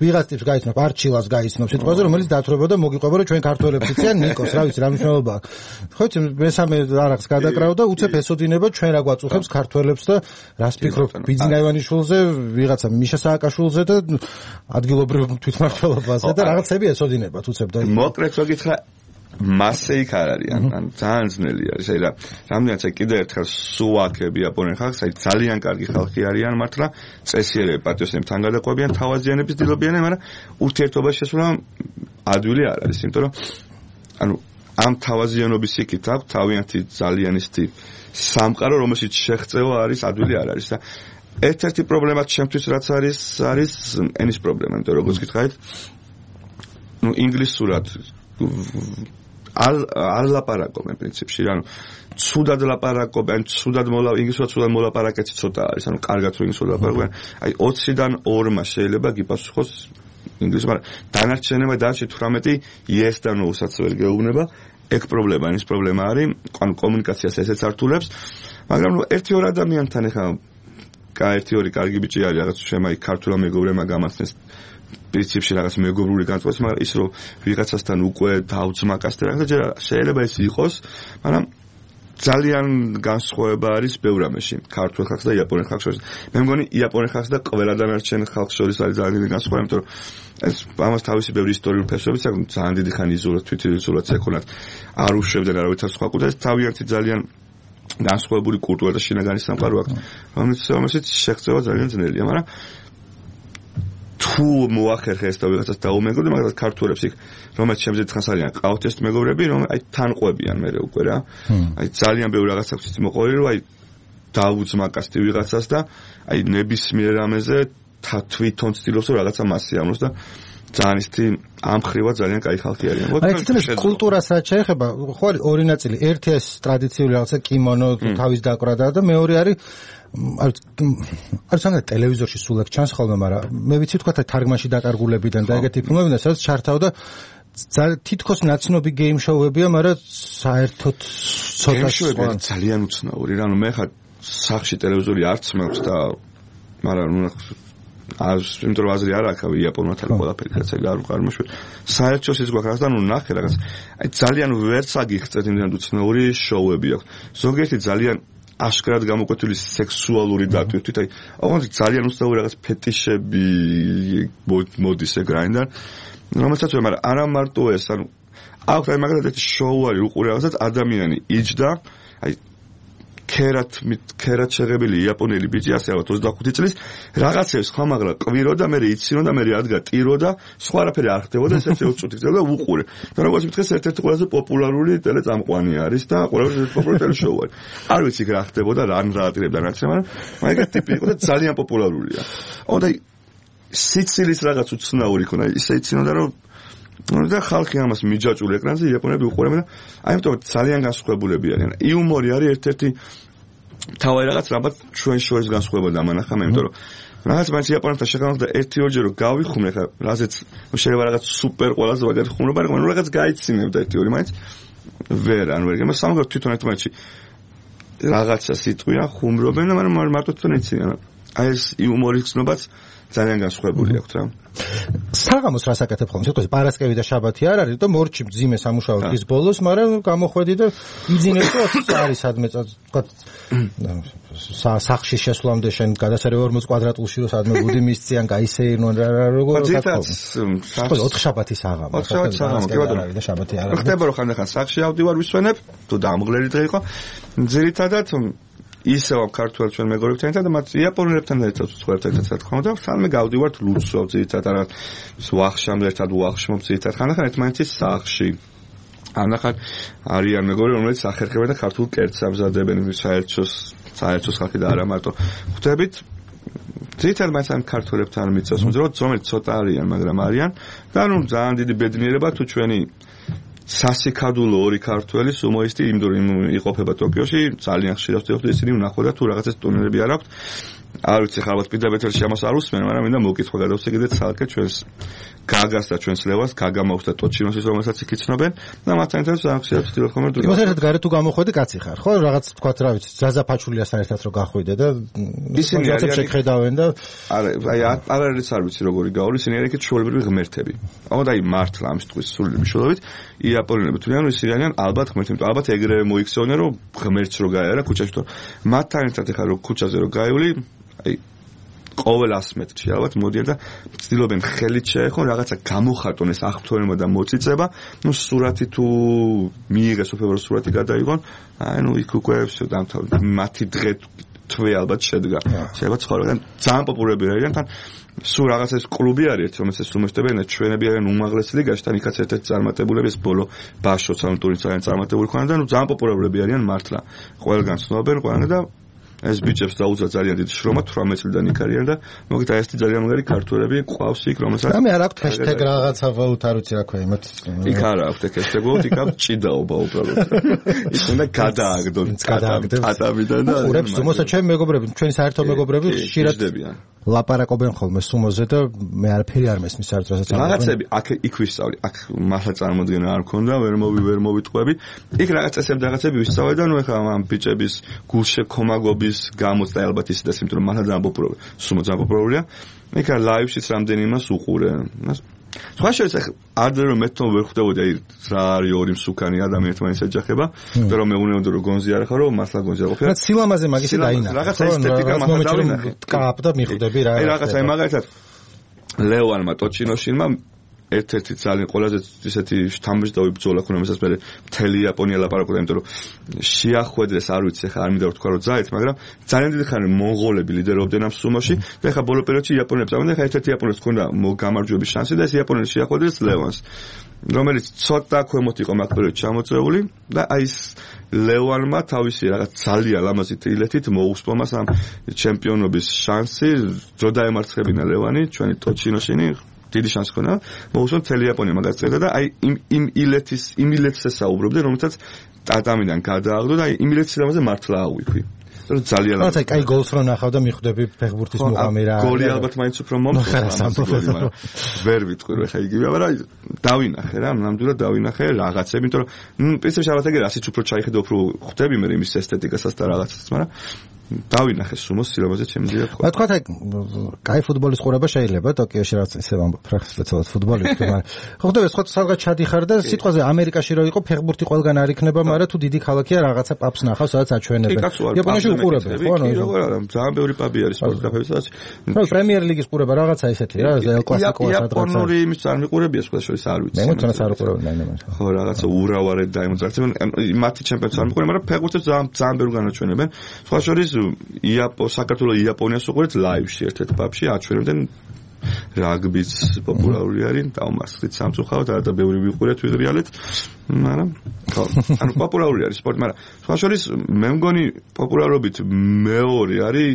ვიღაც ტიპს გაიცნობს, არჩილას გაიცნობს სიტყვაზე, რომელიც დაათრობა და მოგიყვება რომ ჩვენ ქართველებს იციან ნიკოს, რა ვიცი, რა მნიშვნელობა აქვს. ხო იცი, მესამე არახს გადაკრავ და უცებ ესოდინება ჩვენ რა გვაწუხებს ქართველებს და რას ფიქრობ ბიძინა ივანიშვილზე, ვიღაცა მიშა სააკაშვილზე და ადგილობრივ თვითმმართველობაზე და რაღაცები ესოდინებათ უცებ და
მოკლედ რო გითხრა მასე იქ არ არის, ან ძალიან ძნელი არის. აი რა, რამდენიც აი კიდევ ერთხელ სუაქები იაპონელ ხალხს, აი ძალიან კარგი ხალხი არიან მართლა, წესიერები პატრიოტებთან გადაყვებიან, თავაზიანების დილობიანები, მაგრამ ურთიერთობაში შესვლა ადვილი არ არის, იმიტომ რომ ანუ ამ თავაზიანობის იქით აქვს თავიანთი ძალიან ისეთი სამყარო, რომელშიც შეღწევა არის ადვილი არ არის და ერთ-ერთი პრობლემა ჩემთვის რაც არის, არის ენის პრობლემა, იმიტომ რომ როგორც გითხარით, ნუ ინგლისურად არ არ ლაპარაკობენ პრინციპში, ანუ ცუდად ლაპარაკობენ, ცუდად მოლა ინგლისურად ცუდად მოლაპარაკეცი ცოტა არის, ანუ კარგად რომ ინგლისურად ლაპარაკობენ, აი ოცდან ორმა შეიძლება გიპასუხოს ინგლისურად, მაგრამ დანარჩენებმა დანარჩენ თვრამეტი yes და no-საც ვერ გეუბნება, ეგ პრობლემა, ის პრობლემა არის, ანუ კომუნიკაციას ესეც ართულებს, მაგრამ ნუ ერთი ორ ადამიანთან ეხა კაერთი ორი კარგი ბიჭი არის რაღაც შემა იქ ქართულა მეგობრებმა გამაცნეს პრინციპში რაღაც მეგობრული განწყობას, მაგრამ ის რომ ვიღაცასთან უკვე დაუძმაკას და რაღაცა ჯერ შეიძლება ის იყოს, მაგრამ ძალიან განსხვავება არის ბევრ რამეში ქართულ ხალხს და იაპონელ ხალხს შორის. მე მგონი იაპონელ ხალხს და ყველა დანარჩენ ხალხს შორის არის ძალიან დიდი განსხვავება, იმიტომ რომ ეს ამას თავისი ბევრი ისტორიული ფესვებიც აქვს, ძალიან დიდი ხანი იზოლაცია, თვითიზოლაცია ქონათ, არ უშვებდნენ არავითარ სხვა კულტურას, თავიანთი ძალიან განსხვავებული კულტურა და შინაგანი სამყარო აქვს, რომელსაც შეღწევა ძალიან ძნელია, მაგრამ თუ მოახერხე ეს და ვიღაცას დაუმეგობრდე, მაგრამ ქართველებს იქ რომელიც შემძეთ ხანს არიან ყავთ ეს მეგობრები, რომ აი თან ყვებიან მე უკვე რა. აი ძალიან ბევრი რაღაც აქვს ის მოყოლი, რომ აი დაუძმაკასდი ვიღაცას და აი ნებისმიერ რამეზე თვითონ ცდილობს რომ რაღაცა მასზე ამოს და ძალიან ისეთი ამ ხრივა ძალიან კაი ხალხი არიან.
აი ცოტა კულტურასაც შეეხება, ხო არის ორი ნაწილი. ერთი ეს ტრადიციული რაღაცა კიმონო, თავის დაკვრა და მეორე არის არის არის სანამ ტელევიზორში სულ ეგ ჩანს ხოლმე, მაგრამ მე ვიცი თქვა თარგმანში დაკარგულებიდან და ეგეთი ფილმებიდან სადაც ჩართავდა თითქოს ნაცნობი გეიმ შოუებია, მაგრამ საერთოდ ცოტა
სხვა ძალიან უცნაური. რანუ მე ხა სახში ტელევიზორი არც მაქვს და მაგრამ ნუ ას იმიტომ რომ აზრი არ აქვს იაპონურად არის ყველაფერი კაცი არ უყარმოშვი. საერთოდ ის გვაქვს და ნუ ნახე რაღაც აი ძალიან ვერც აგიხსეთ იმდან უცნაური შოუები აქვს. ზოგიერთი ძალიან აშკარად გამოკვეთილი სექსუალური დატვირთვით, აი, ოღონდ ძალიან უცნაური რაღაც ფეტიშები მოდის ეგ რაინდან, რომელსაც ვერ, მაგრამ არა მარტო ეს, ანუ აქვს აი მაგალითად ერთი შოუ არის უყურე რაღაცას ადამიანი იჯდა, აი ქერათ ქერათ შეღებილი იაპონელი ბიჭი ასე ალბათ ოცდახუთი წლის რაღაცებს ხამაღლა ყვირო და მე იცინო და მე ადგა ტირო და სხვა არაფერი არ ხდებოდა ეს ერთი ოცი წუთი და უყურე და როგორც მითხეს ერთ-ერთი ყველაზე პოპულარული ტელეწამყვანი არის და ყველაზე პოპულარული ტელეშოუ არის არ ვიცი რა ხდებოდა რა რატირებდა რაც მაგრამ მაგათ ტიპი იყო და ძალიან პოპულარულია ონდა სიცილის რაღაც უცნაური ქონა ისე იცინოდა რომ და ხალხი ამას მიჯაჭული ეკრანზე იაპონები უყურებენ და აი ამიტომ ძალიან განსხვავებულები არიან. იუმორი არის ერთ-ერთი თავი რაღაც რაბათ ჩვენ შორის განსხვავება დამანახა მე, იმიტომ რომ რაღაც მაინც იაპონებთან შეხამოთ და ერთი ორჯერ რომ გავიხუმრე ხა, რაზეც შეიძლება რაღაც სუპერ ყველაზე მაგარი ხუმრობა, მაგრამ რაღაც გაიცინებდა ერთი ორი მაინც ვერ ან ვერ, მაგრამ სამაგერ თვითონ ერთმანეთში რაღაცა სიტყვია ხუმრობენ, მაგრამ მარტო თვითონ იციან. აი ეს იუმორის ცნობაც ძალიან განსხვავებული აქვს რა.
საღამოს რას აკეთებ ხოლმე? თქო, პარასკევი და შაბათი არ არის და მორჩი მძიმე სამუშაო დღის ბოლოს, მაგრამ გამოხვედი და იძინებ და ოცი არის სადმე თქვა სახში შესვლამდე შენ გადასარევ ორმოც კვადრატულში რომ სადმე ბუდი მისციან, გაისეირნონ რა რა როგორ
თქვა.
ხო, ოთხ შაბათი საღამო.
ოთხ შაბათი საღამო, კი ბატონო.
და შაბათი არ არის.
ხდება რომ ხანდახან სახში ავდივარ ვისვენებ, თუ დამღლელი დღე იყო. ძირითადად ისევ ქართველ ჩვენ მეგობრებთან ერთად და მათ იაპონელებთან ერთად ვცხოვრობთ ერთად რა თქმა უნდა და სანამ გავდივართ ლუცვავ ძირითადად რაღაც ვახშამდე ერთად ვახშმობ ძირითადად ხანდახან ერთმანეთის სახლში ანახან არიან მეგობრები რომელიც ახერხებენ და ქართულ კერძს ამზადებენ საერთოს საერთოს ხალხი და არა მარტო ხვდებით ძირითადად მაინც ამ ქართველებთან მიწევს მოძრაობ რომელიც ცოტა არიან მაგრამ არიან და ნუ ძალიან დიდი ბედნიერება თუ ჩვენი სასიკადულო ორი ქართველი სუმოისტი იმ იყოფება ტოკიოში ძალიან ხშირად ვთქვი ისინი ვნახო და თუ რაღაცას ტურნირები არ აქვთ არ ვიცი ხა ალბათ პირდაპირ ეთერში ამას არ უსმენ მაგრამ მინდა მოვკითხო გადავსეგდეთ ცალკე ჩვენს გაგას და ჩვენს ლევას გაგა მაქვს და ტოჩინოსის რომელსაც იქ იცნობენ და მათთან ერთად ძალიან ხშირად ვთქვი ხომ რომ
იმას ერთად გარეთ თუ გამოხვედი კაცი ხარ ხო რაღაც თქვა რა ვიცი ზაზაფაჩულიასთან ერთად რომ გახვიდე და
ისინი არიან
შეხედავენ და
არა აი არაერთ არ ვიცი როგორი გაული ისინი არიან ჩვეულებრივი ღმერთები აღარ აი მართლა ამ სიტყვის სრული მნიშვნელობით იაპონელები თვლიან რომ ისინი არიან ალბათ ღმერთი იმიტომ ალბათ ეგრევე მოიქცეოდნენ რომ ღმერთს რო გაიარა ქუჩაში თუ მათთან ერთად ეხა რო ქუჩაზე რო გაივლი აი ყოველ ას მეტრში ალბათ მოდიან და ცდილობენ ხელით შეეხონ რაღაცა გამოხატონ ეს აღფრთოვნება და მოწიწება ნუ სურათი თუ მიიღეს უფლებრო სურათი გადაიღონ აი ნუ იქ უკვე всё დამთავრდა მათი დღე თვე ალბათ შედგა შეიძლება ცხოვრებიდან ძალიან პოპულარები არიან თან სულ რაღაცა ეს კლუბი არის ერთ რომელსაც უმეშტებიან ჩვენები არიან უმაღლეს ლიგაში თან იქაც ერთ-ერთი წარმატებულები ეს ბოლო ბაშოც ამ ტურნირს ძალიან წარმატებული ხონდა და ნუ ძალიან პოპულარები არიან მართლა ყველგან ცნობენ ყველგან და ეს ბიჭებს დაუძა ძალიან დიდი შრომა თვრამეტ წლიდან იქ არიან და მოგეთ აი ესეთი ძალიან მაგარი ქართველები ყავს იქ რომელსაც
ამე არ აქვს ჰეშტეგ რაღაცა ვალუტ არ ვიცი რა ქვია იმათ
იქ არ აქვს ჰეშტეგ ვალუტ იქ აქვს ჭიდაობა უბრალოდ ის უნდა გადააგდონ
გადააგდებს
ატამიდან და
ყურებს თუმცა ჩემი მეგობრები ჩვენი საერთო მეგობრები ხშირად ლაპარაკობენ ხოლმე სუმოზე და მე არაფერი არ მესმის საერთოდ რასაც
რაღაცები აქ იქ ვისწავლი აქ მართლა წარმოდგენა არ ქონდა ვერ მოვი ვერ მოვიტყვები იქ რაღაც წესები რაღაცები ვისწავლე და ნუ ეხლა ამ ბიჭების გულშექომაგობის გამოცდა ალბათ ისედაც იმიტომ რომ მართლა ძალიან პოპულარულია სუმო ძალიან პოპულარულია იქ ლაივშიც რამდენი იმას უყურე სხვა შეიძლება ადრე რომ მეთქო ვერ ხვდებოდი აი რა არის ორი მსუქანი ადამიანი თვითონ ეჯახება და რომ მეუნეოდო რომ გონზი არ ხარო მართლა გონზი არ ყოფილა
რაც სილამაზე მაგისი დაინახა
რაღაცა ესთეტიკა მართლა დავინახე
კაპ და მიხვდები რა
აი რაღაცა აი მაგალითად ლეოანმა ტოჩინოშინმა ერთ-ერთი ძალიან ყველაზე ისეთი შთამბეჭდავი ბრძოლა ქონა მესაც მე მთელი იაპონია ლაპარაკობდა იმიტომ რომ შეახვედრეს არ ვიცი ხა არ მინდა ვთქვა რომ ძალით მაგრამ ძალიან დიდი ხანი მონღოლები ლიდერობდნენ ამ სუმოში და ხა ბოლო პერიოდში იაპონელებს ამბობდნენ ხა ერთ-ერთი იაპონელს ქონდა გამარჯვების შანსი და ეს იაპონელი შეახვედრეს ლევანს რომელიც ცოტა ქვემოთ იყო მაგ პერიოდში ჩამოწეული და აი ეს ლევანმა თავისი რაღაც ძალიან ლამაზი ტრილეთით მოუსპომა ამ ჩემპიონობის შანსი რო დაემარცხებინა ლევანი ჩვენი ტოჩინოშინი დიდი შანსი ქონა მოუსვამ მთელი იაპონია მაგას წერდა და აი იმ იმ ილეთის იმ ილეთს ესაუბრებდნენ რომელსაც ტატამიდან გადააგდო და აი იმ ილეთის სილამაზე მართლა აღვიქვი რომ ძალიან
ლამაზი აი კაი გოლს რო ნახავ და მიხვდები ფეხბურთის მუღამი რა
გოლი ალბათ მაინც უფრო მომხდარა ვერ ვიტყვი რომ ხა იგივეა მაგრამ დავინახე რა ნამდვილად დავინახე რაღაცები იმიტომ რომ ნუ პრინციპში ალბათ ეგ რასიც უფრო ჩაიხედა უფრო ხვდები მე იმის ესთეტიკასაც და რაღაცას მაგრამ დავინახე სუმოს სილამაზე ჩემზია თქვა.
თქვა აი კაი ფუტბოლის ყურება შეიძლება ტოკიოში რაც ისე ფრახსლეცად ფუტბოლისტი მაგრამ ხო ხდება სხვა სადღაც ჩადიხარ და სიტყვაზე ამერიკაში რო იყო ფეხბურთი ყველგან არ იქნება მაგრამ თუ დიდი ქალაქია რაღაცა პაბს ნახავს სადაც აჩვენებენ. იაპონიაში უყურებენ ხო ანუ
ძალიან ბევრი პაბი არის სპორტ კაფეები სადაც
ხო პრემიერ ლიგის ყურება რაღაცა ისეთი რა ელ კლასიკოა სადღაც
იაპონური იმის წარმიყურებია სხვა შორის არ ვიცი.
მე მოწონს არ უყურებენ მაინც.
ხო რაღაცა ურავარეთ დაიმოძრაცებენ მათი ჩემპიონატს არ მიყურებენ მაგრამ ფეხბურთს ძალიან ძალიან ბევრი განაჩვენებენ. სხვა შორის იაპო საქართველოს იაპონიას უყურეთ ლაივში ერთ-ერთ პაბში აჩვენებდნენ რაგბიც პოპულარული არის დავმარცხდით სამწუხაროდ და ბევრი ვიყურეთ ვიღრიალეთ მაგრამ ხო ანუ პოპულარული არის სპორტი მაგრამ სხვა შორის მე მგონი პოპულარობით მეორე არის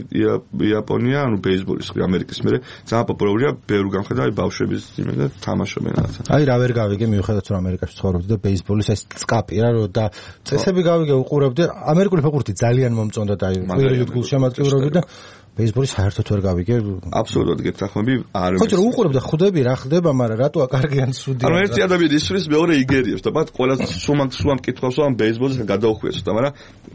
იაპონია ანუ ბეისბოლის ამერიკის მერე ძალიან პოპულარულია ბევრი გამხედავი ბავშვების იმედა თამაშობენ რაღაცა
აი რა ვერ გავიგე მიუხედავად რომ ამერიკაში ცხოვრობდი და ბეისბოლის ეს წკაპი რა რო და წესები გავიგე უყურებდი ამერიკული ფეხბურთი ძალიან მომწონდა და აი პირველი გულშემატკივრობდი და ბეისბოლის საერთოდ ვერ გავიგე
აბსოლუტურად გეთახმები არ
ხო რომ უყურებ და ხვდები რა ხდება მაგრამ რატოა კარგიან სუდი
ანუ ერთი ადამიანი ისვრის მეორე იგერიებს და მათ ყველა სუმამ სუმამ კითხავს რომ ბეისბოლს გადაუხვიეს და მაგრამ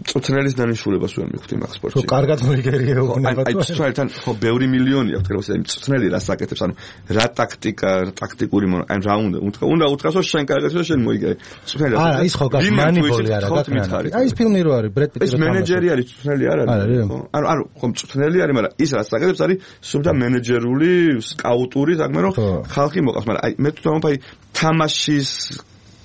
წუთნელის დანიშნულებას ვერ მივხვდი მაგ სპორტში
ხო კარგად მოიგერია უნება
აი წუთნელთან ხო ბევრი მილიონი აქვს თქოს აი წუთნელი რას აკეთებს ანუ რა ტაქტიკა ტაქტიკური ან რა უნდა უთხრა უნდა უთხრას რომ შენ კარგად შენ მოიგე წუთნელი
არა ის ხო გას მანიპოლი არა გაკრანი აი ეს ფილმი რო არის ბრედ პიტი
ეს მენეჯერი არის წუთნელი არ არის ანუ ანუ ხო წუთნელი არის მაგრამ ის რაც აკეთებს არის სულ და მენეჯერული სკაუტური თქმე რომ ხალხი მოყავს მაგრამ აი მე თვითონ აი თამაშის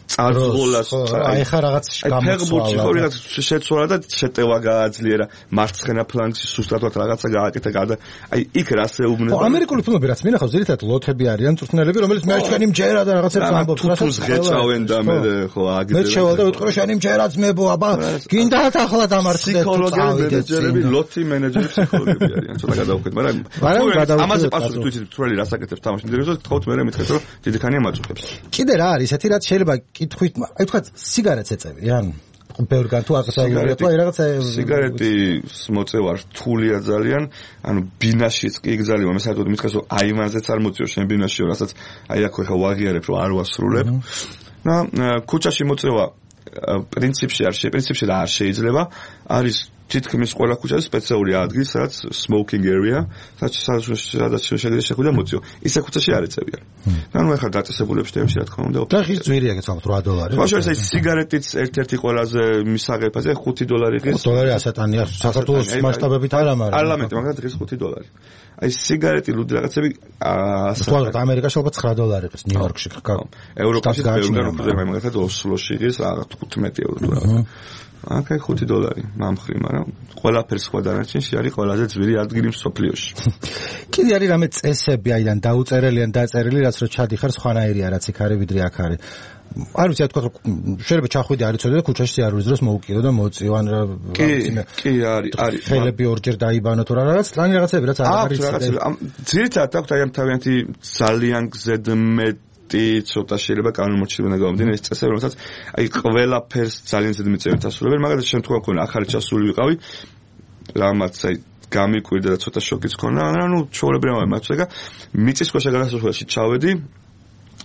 წარსულას
აი ხა რაღაც
ფეხბურთში ხო რაღაც შეცვალა და შეტევა გააძლიერა მარცხენა ფლანგში სუსტად რაღაცა გააკეთა გარდა აი იქ რას ეუბნება
ხო ამერიკული ფილმები რაც მინახავს ძირითადად ლოთები არიან წვრთნელები რომელიც მე ჩვენი მჯერა და რაღაცებს ამბობს
რასაც ღეჭავენ და მე ხო აგდებს
მე შევალ და ვიტყვი რომ შენი მჯერა ძმებო აბა გინდათ ახლა დამარცხდეთ
ფსიქოლოგები მენეჯერები ლოთი მენეჯერი ფსიქოლოგები არიან ცოტა გადავხეთ მაგრამ ამაზე პასუხი თუ იცით თვრელი რას აკეთებს თამაში მიდრეზე თქოთ მე მეთქეთ რომ დიდი ხანია მაწუხებს
კიდე რა არის ესეთი რაც შეიძლება კითხვით აი თქვა სიგარეტს ეწევი ან ბევრგან თუ აკეთებია თუ აი რაღაცა
სიგარეტის მოწევა რთულია ძალიან ანუ ბინაშიც კი იგზალება მე საერთოდ მითხეს რომ აივანზეც არ მოწიო შენ ბინაშიო რასაც აი აქ ხა ვაღიარებ რომ არ ვასრულებ და ქუჩაში მოწევა პრინციპში არ შეიძლება პრინციპში და არ შეიძლება არის თითქმის ყველა ქუჩაზე სპეციალური ადგილი სადაც smoking area სადაც შეიძლება შეხვიდე მოწიო ისე ქუჩაში არ ეწევიან და ნუ ახლა დაწესებულებს თემში რა თქმა უნდა
და ხის ძვირია გეცალთ რვა დოლარი
ხო შეიძლება ეს სიგარეტიც ერთ-ერთი ყველაზე მისაღებაზე ხუთი დოლარი ღირს
დოლარი ასატანია საქართველოს მასშტაბებით არა მაგრამ
პარლამენტი მაგათ ღირს ხუთი დოლარი აი სიგარეტი ლუდი რაღაცები
ასე ამერიკაში ალბათ ცხრა დოლარი ღირს ნიუ-იორკში ხო
ევროპაში ბევრგან უფრო ზემე მაგათ ოსლოში ღირს რაღაც თხუთმეტი ევრო თუ რაღაც აკაი ხუთი დოლარი მამხრი, მაგრამ ყველაფერს სხვა დანარჩენში არის ყველაზე ძვირი ადგილი მსოფლიოში.
კიდე არის რამე წესები აიდან დაუწერელი ან დაწერილი, რაც რო ჩადიხარ სხვანაირია, რაც იქ არის ვიდრე აქ არის. არ ვიცი, თქვა შეიძლება ჩახვიდე არ იცოდე და ქუჩაში არ ვიზროს მოუკიდო და მოწიო ან რა
კი არის არის
ხელები ორჯერ დაიბანო თუ რა რაღაც ტრანი რაღაცები რაც არ არის
ძირითადად აქვს აი ამ თავიანთი ძალიან გზედმეტ ცოტა შეიძლება კანონმორჩილება გამომდინარე ეს წესები რომელსაც აი ყველაფერს ძალიან ძლიერ მიწევით ასრულებენ მაგალითად შემთხვევა მქონდა ახალი ჩასული ვიყავი რამაც აი გამიკვირდა და ცოტა შოკიც ქონა, ანუ ჩვეულებრივ მაცვეგა მიწისქვეშა გადასასვლელში ჩავედი,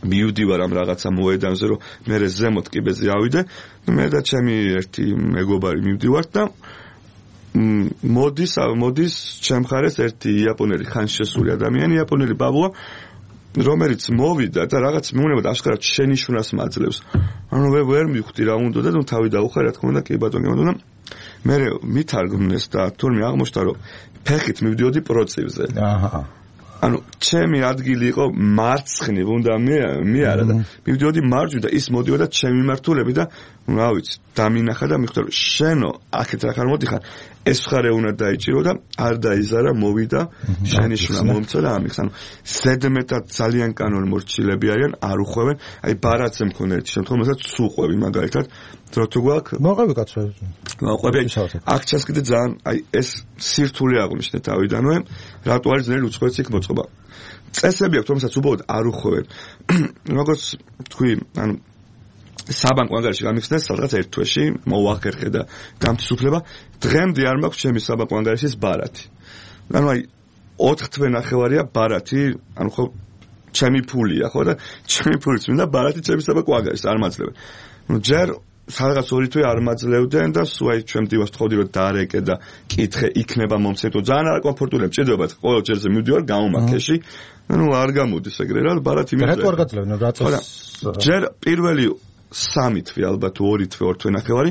მივდივარ ამ რაღაცა მოედანზე, რომ მე ზემოთ კიბეზე ავიდე, მე და ჩემი ერთი მეგობარი მივდივართ და მოდის მოდის ჩემ მხარეს ერთი იაპონელი ხანშესული ადამიანი, იაპონელი ბაბუა, რომელიც მოვიდა და რაღაც მეუბნება აშკარად შენიშვნას მაძლევს. ანუ მე ვერ მივხვდი რა უნდა და თავი დაუხარე, რა თქმა უნდა, კი ბატონო, ბატონო. მე მითარგმნეს და თურმე აღმოჩნდა, რომ ფეხით მივდიოდი პროცივზე. აჰა. ანუ ჩემი ადგილი იყო მარცხნივ, უნდა მე მე არა და მივდიოდი მარჯვნივ და ის მოდიოდა ჩემი მართულები და რა ვიცი, დამინახა და მიხვდა, რომ შენო აქეთ რა ხარ მოდიხარ, ეს ხარე უნდა დაიჭირო და არ დაიზარა, მოვიდა, შენიშვნა მომცა და ამიხს. ანუ ზედმეტად ძალიან კანონმორჩილები არიან, არ უხვევენ. აი ბარათზე მქონდა ერთი შემთხვევა, რომელსაც სუყვები მაგალითად, რო თუ გვაქვს
მოყვები კაცო.
მოყვები აქ ჩასკიდე ძალიან აი ეს სირთულე აღნიშნე თავიდანვე, რატო არის ძნელი უცხოეთს იქ მოწყობა. წესები აქვს, რომელსაც უბრალოდ არ უხვევენ. როგორც თქვი, ანუ საბანკო ანგარიში გამიხსნეს სადღაც ერთ თვეში, მოვახერხე და გამთსუფლება, დღემდე არ მაქვს ჩემი საბანკო ანგარიშის ბარათი. ანუ აი ოთხ თვე ნახევარია ბარათი, ანუ ხო ჩემი ფულია, ხო და ჩემი ფულიც მინდა ბარათი ჩემი საბანკო ანგარიშს არ მაძლევენ. ნუ ჯერ სადღაც ორი თვე არ მაძლევდნენ და სულ აი ჩვენ დივას თხოვდი რომ დაარეკე და კითხე იქნება მომცემ, ძალიან არაკომფორტულია, მჭირდება ყოველ ჯერზე მივდივარ გამომაქეში. ანუ არ გამოდის ეგრე რა, ბარათი მივდივარ.
რატო არ გაძლევდნენ რატოს?
ჯერ პირველი სამი თვე ალბათ ორი თვე ორ თვე ნახევარი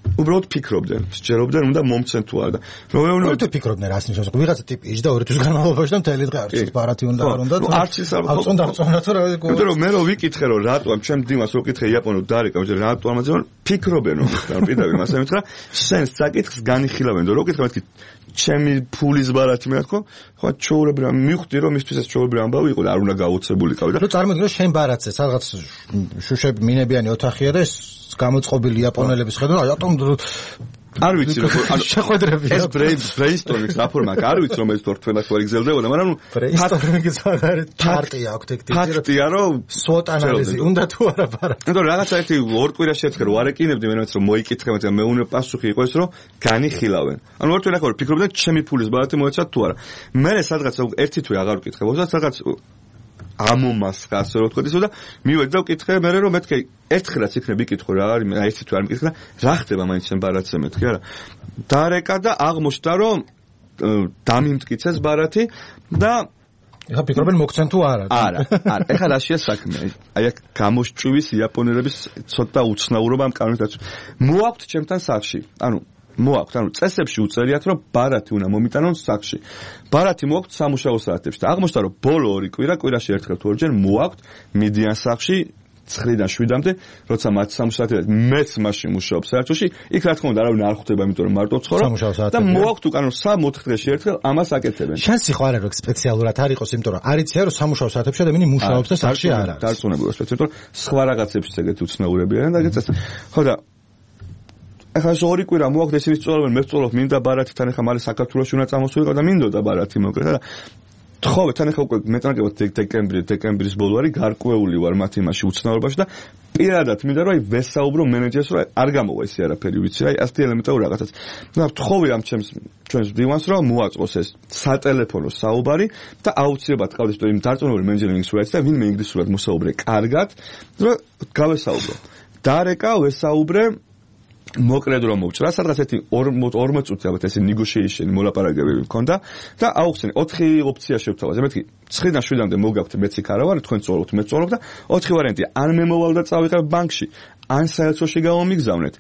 უბრალოდ ფიქრობდნენ, სჯერობდნენ უნდა მომცენ თუ არა და რომ მეუბნება
თუ ფიქრობდნენ რას ნიშნავს, ვიღაცა ტიპი იჯდა ორი თვის განმავლობაში და მთელი დღე არც ბარათი უნდა არ უნდა
თუ არც ის არ
აღწონდა აღწონდა თუ რა
იმიტომ რომ მე რო ვიკითხე რომ რატო ამ ჩემ დიმას რო ვკითხე იაპონურ დარეკა მე რატო ამაზე ფიქრობენ რომ პირდაპირ მასე მითხრა შენ საკითხს განიხილავენ და რო ვკითხე მეთქი ჩემი ფულის ბარათი მე თქო ხო ჩაურებრა მივხვდი რომ მისთვის ეს ჩაურებრა ამბავი იყო და არ უნდა გაუცებულიყავი და
რო წარმოგიდგენთ შენ ბარათზე სადღაც შუშები მინებიანი ოთახია და ეს გამოწყობილი იაპონელების ხედვა რატომ
არ ვიცი როგორ
ანუ შეხვედრები
ეს ბრეინსტორმინგს რა ფორმა აქვს არ ვიცი რომ ეს თორ თქვენ ახლა იგზელდებოდა მაგრამ ნუ
ბრეინსტორმინგის მაგარი ჩარტია აქვს ეგ ტიპი
ფაქტია რომ
სვოტ ანალიზი უნდა თუ არა ბარათი
იმიტომ რაღაცა ერთი ორ კვირაში ერთხელ რო არეკინებდი მენაც რომ მოიკითხე მაგრამ მე უნდა პასუხი იყოს რომ განიხილავენ ანუ ორ თვე ახლა ფიქრობდი ჩემი ფულის ბარათი მოეცათ თუ არა მე სადღაც ერთი თვე აღარ ვკითხებოდა სადღაც ამომასხა ასე რომ ვთქვი და მივედი და ვკითხე მე რომ მეთქე ერთხელაც იქნები იკითხო რა არის აი ერთი თვე არ მიკითხე რა ხდება მაინც შენ ბარათზე მეთქე არა დარეკა და აღმოჩნდა რომ დამიმტკიცეს ბარათი და
ეხა ფიქრობენ მოგცენ თუ არა
არა არა ეხა რაშია საქმე აი აქ გამოსჭვის იაპონელების ცოტა უცნაურობა ამ კანონით მოაქვთ ჩემთან სახში ანუ მოაქვთ, ანუ წესებში უწერიათ, რომ ბარათი უნდა მომიტანონ სახში. ბარათი მოაქვთ სამუშაო საათებში და აღმოჩნდა, რომ ბოლო ორი კვირა, კვირაში ერთხელ თუ ორჯერ მოაქვთ მიდიან სახში ცხრიდან შვიდამდე, როცა მათ სამუშაო მეც მაშინ მუშაობ საერთოში, იქ რა თქმა უნდა არავინ არ ხვდება, იმიტომ რომ მარტო ცხოვრობ და მოაქვთ უკანო სამ ოთხ დღეში ერთხელ ამას აკეთებენ.
შანსი ხო არ არის რომ სპეციალურად არ იყოს, იმიტომ რომ არ იციან რომ სამუშაო საათებში ადამიანი მუშაობს და სახში არ არის.
დარწმუნებული ვარ, სპეციალურად სხვა რაღაცებში ეგეთი უცნაურები არიან და ეგეც ხო და ახლა ორი კვირა მოაქვს ისინი სწორობენ მე ვწოლობ მინდა ბარათთან ახლა მალე საქართველოში უნდა წამოსულიყო და მინდოდა ბარათი მოკრეთა და თხოვე თან ახლა უკვე მეტნაკლებად დეკემბრი დეკემბრის ბოლო არის გარკვეული ვარ მათ იმაში უცნაურობაში და პირადად მინდა რომ აი ვესაუბრო მენეჯერს რომ არ გამოვა ისე არაფერი ვიცი აი ასეთი ელემენტური რაღაცაც და თხოვე ამ ჩემს ჩვენს დივანს რომ მოაწყოს ეს სატელეფონო საუბარი და აუცილებლად ყავდეს იმ დარწმუნებული მენეჯერი ინგლისურად და ვინმე ინგლისურად მოსაუბრე კარგად რომ გავესაუბრო დარეკა ვესაუბრე მოკლედ რომ მოვჭრა, სადღაც ერთი ორმოც წუთი ალბათ ესე negotiation მოლაპარაკებები მქონდა და აუხსენე ოთხი ოპცია შევთავაზე. მეთქი ცხრიდან შვიდამდე მოგაქვთ მეც იქ არა ვარ, თქვენ წოლობთ, მე წოლობ და ოთხი ვარიანტია. ან მე მოვალ და წავიღებ ბანკში, ან საელჩოში გავამიგზავნეთ.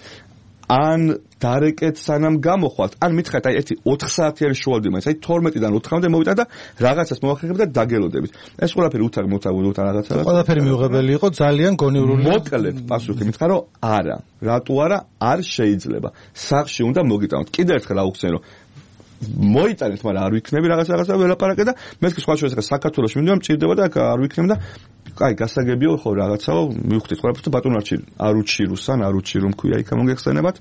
ან დარეკეთ სანამ გამოხვალთ, ან მითხარით აი ერთი ოთხ საათიანი შუალდი მაინც, აი თორმეტიდან ოთხამდე მოვიდა და რაღაცას მოახერხებ და დაგელოდებით. ეს ყველაფერი უთარ მოთაგული უთარ რაღაცა.
ყველაფერი მიუღებელი იყო ძალიან გონივრული.
მოკლედ პასუხი მითხარ რომ არა. რატო არა? არ შეიძლება. სახში უნდა მოგიტანოთ. კიდევ ერთხელ აუხსენ რომ მოიტანეთ, მაგრამ არ ვიქნები რაღაცა რაღაცა ველაპარაკე და მეთქი სხვა შორის ახლა საქართველოში მინდა მჭირდება და არ ვიქნები და კაი, გასაგებია ხო რაღაცაო, მივხვდით ყველაფერს და ბატონ არჩი არ უჩირუსან, არ უჩირუ მქვია იქა მოგეხსენებათ.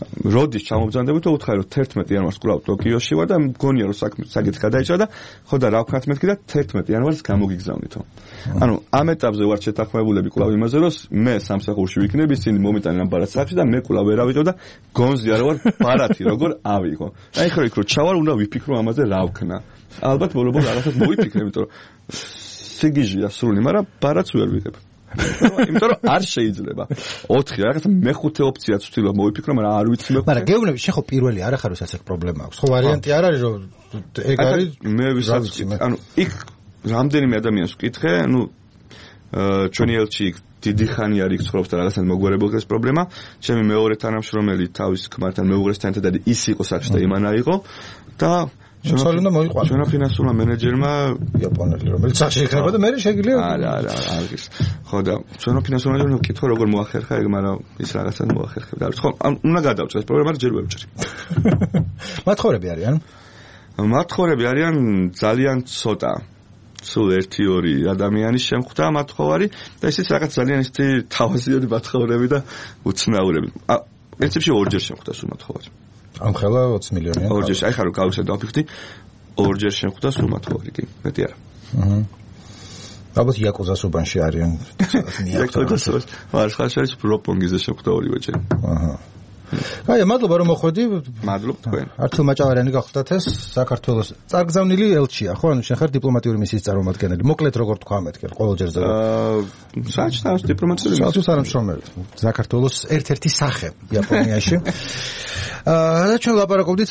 როდის ჩამობრძანდებით და უთხარი რომ თერთმეტი იანვარს კვლავ ტოკიოში ვარ და მგონია რომ საქმე საკითხი გადაიჭრა და ხო და რა ვქნათ მეთქი და თერთმეტი იანვარს გამოგიგზავნითო. ანუ ამ ეტაპზე ვარ შეთანხმებულები კვლავ იმაზე რომ მე სამსახურში ვიქნები, ისინი მომიტანენ ამ ბარათს სახში და მე კვლავ ვერ ავიღებ და გონზია რომ ვარ ბარათი როგორ ავიღო. აი ხო იქ რო ჩავარ უნდა ვიფიქრო ამაზე რა ვქნა. ალბათ ბოლო-ბოლო რაღაცას მოვიფიქრე, იმიტომ რომ სიგიჟია სრული, მაგრამ ბარათს ვერ ვიღებ. იმიტომ რომ არ შეიძლება. ოთხი რაღაც მეხუთე ოპციაც ვთქვი მოვიფიქრო, მაგრამ არ ვიცი მე.
მაგრამ გეუბნები, შენ ხო პირველი არ ახარ ვისაც ეგ პრობლემა აქვს. ხო ვარიანტი არ არის რომ ეგ არის
მე ვისაც ანუ იქ რამდენიმე ადამიანს ვკითხე, ანუ ჩვენი ელჩი დიდი ხანი არის ცხოვრობს და რაღაცა მოგვარებულს ეს პრობლემა. ჩემი მეორე თანამშრომელი თავის ქმართან მეუღლესთან ერთად ის იყო სახში და იმანა იყო და
ჩვენ მოიყვანა.
ჩვენო ფინანსურმა მენეჯერმა
იაპონელი რომელიც სახში იქნება და მე შეგვიძლია
არა არა არის. ხო და ჩვენო ფინანსურმა მენეჯერმა კითხვა როგორ მოახერხა ეგ, მაგრამ ის რაღაცა მოახერხებდა. ხო, უნდა გადავწერ ეს პრობლემა ჯერ ვერ ვჭრი.
მათხოვრები არიან?
მათხოვრები არიან ძალიან ცოტა. სულ ერთი ორი ადამიანის შემხვდა მათხოვარი და ისიც რაღაც ძალიან ისეთი თავაზიანი მათხოვრები და უცნაურები. პრინციპში ორჯერ შემხვდა სულ მათხოვარი.
ამ ხელა ოცი მილიონიანი.
ორჯერ, აი ხარო გავიხსენე დავფიქრდი, ორჯერ შემხვდა სულ მათხოვარი, კი, მეტი არა.
აჰა. ალბათ იაკუზას უბანში არიან.
იაკუზას. მარცხალში არის პროპონგიზე შემხვდა ორივეჯერ.
აჰა. აი, მადლობა რომ მოხვედი.
მადლობ თქვენ.
არჩილ მაჭავარიანი გახლდათ ეს საქართველოს წარგზავნილი ელჩია, ხო? ანუ შენ ხარ დიპლომატიური მისიის წარმომადგენელი. მოკლედ როგორ თქვა მეთქე, ყოველჯერზე.
აა, საერთოდ დიპლომატიური მისიის.
საერთოდ არამშრომელი. საქართველოს ერთ-ერთი სახე იაპონიაში. აა, ჩვენ ლაპარაკობდით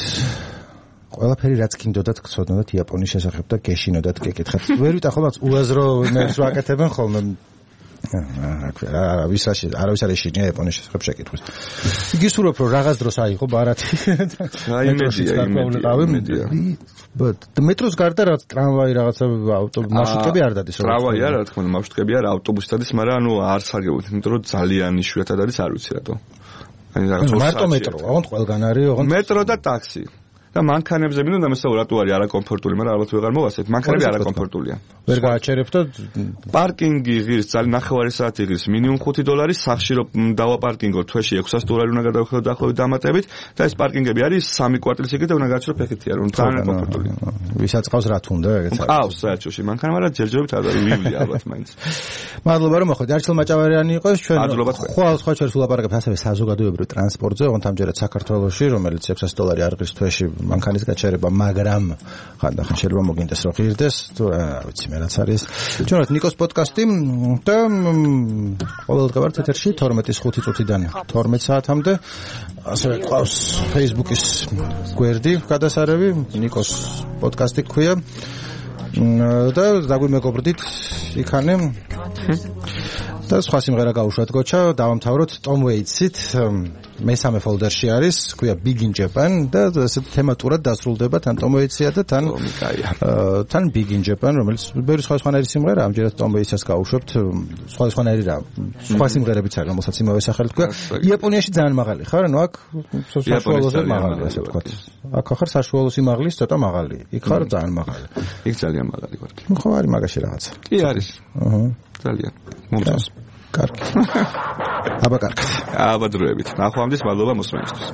ყველაფერი რაც გინდოდათ გცოდნოდათ იაპონიის შესახებ და გეშინოდათ გეკითხათ. ვერ ვიტახობთ უაზრო იმებს ვაკეთებენ ხოლმე. აა, ვისაში არავის არ ეშინია იაპონიის შესახებ შეკითხვის. გისურვებ რომ რაღაც დროს აიღო ბარათი.
აი იმედია, იმედია.
მეტროს გარდა რაც ტრამვაი რაღაცა ავტობუსი მარშრუტები არ დადის
რა. ტრამვაი არა, რა თქმა უნდა, მარშრუტები არა, ავტობუსი დადის, მაგრამ ანუ არ სარგებლობთ, იმიტომ რომ ძალიან იშვიათად არის, არ ვიცი რატო.
აი რაღაც მარტო მეტრო, ოღონდ ყველგან არის, ოღონდ
მეტრო და ტაქსი. და მანქანებზე მინდა დამესაუბრა რატო არის არაკომფორტული, მაგრამ ალბათ ვეღარ მოვასწრეთ. მანქანები არაკომფორტულია.
ვერ გააჩერებ და
პარკინგი ღირს ძალიან ნახევარი საათი ღირს მინიმუმ ხუთი დოლარი, სახში რომ დავაპარკინგო თვეში ექვსასი დოლარი უნდა გადავხდო დაახლოებით დამატებით და ეს პარკინგები არის სამი კვარტლის იგივე და უნდა გააჩერო ფეხითია, რომ ძალიან კომფორტულია.
ვისაც ყავს რა თუნდა ეგეც არის.
ყავს საერთოდ მანქანა, მაგრამ ჯერჯერობით არ არის ვივლი ალბათ მაინც.
მადლობა რომ მოხვედი. არჩილ მაჭავარიანი იყო ჩვენ. ხვალ სხვა ჩვენს ულაპარაკებთ ასევე საზოგადოებრივ ტრანსპორტზე, ოღონდ ამჯერად საქართველოში, რომელიც ექვსასი დოლარი არ ღირს თვეში მანქანის გაჩერება, მაგრამ ხანდახან შეიძლება მოგინდეს რომ ღირდეს, თუ რა ვიცი მე რაც არის. ჩვენ ვართ ნიკოს პოდკასტი და ყოველდღიურად ეთერში თორმეტის ხუთი წუთიდან თორმეტ საათამდე. ასევე ყავს Facebook-ის გვერდი გადასარევი, ნიკოს პოდკასტი ქვია. და დაგვიმეგობრდით იქანე. და სხვა სიმღერა გაუშვათ გოჩა, დავამთავროთ Tom Waits-ით. მესამე ფოლდერში არის, ქვია Big in Japan და ესეთ თემატურად დასრულდება თან Tom Waits-ია და თან თან Big in Japan, რომელიც ბევრი სხვა სხვანაირი სიმღერა, ამჯერად Tom Waits-ს გავუშვებთ, სხვა სხვანაირი რა. სხვა სიმღერებიც არის, რომელსაც იმავე სახელით ქვია. იაპონიაში ძალიან მაღალი ხარ, ანუ აქ საშუალოზე მაღალი, ასე ვთქვათ. აქ ხარ საშუალო სიმაღლის ცოტა მაღალი. იქ ხარ ძალიან მაღალი.
იქ ძალიან მაღალი ვარ.
ხო არის მაგაში რაღაცა.
კი არის. აჰა. ძალიან. მომწონს. კარგი. აბა კარგი. აბა დროებით. ნახვამდის მადლობა მოსმენისთვის.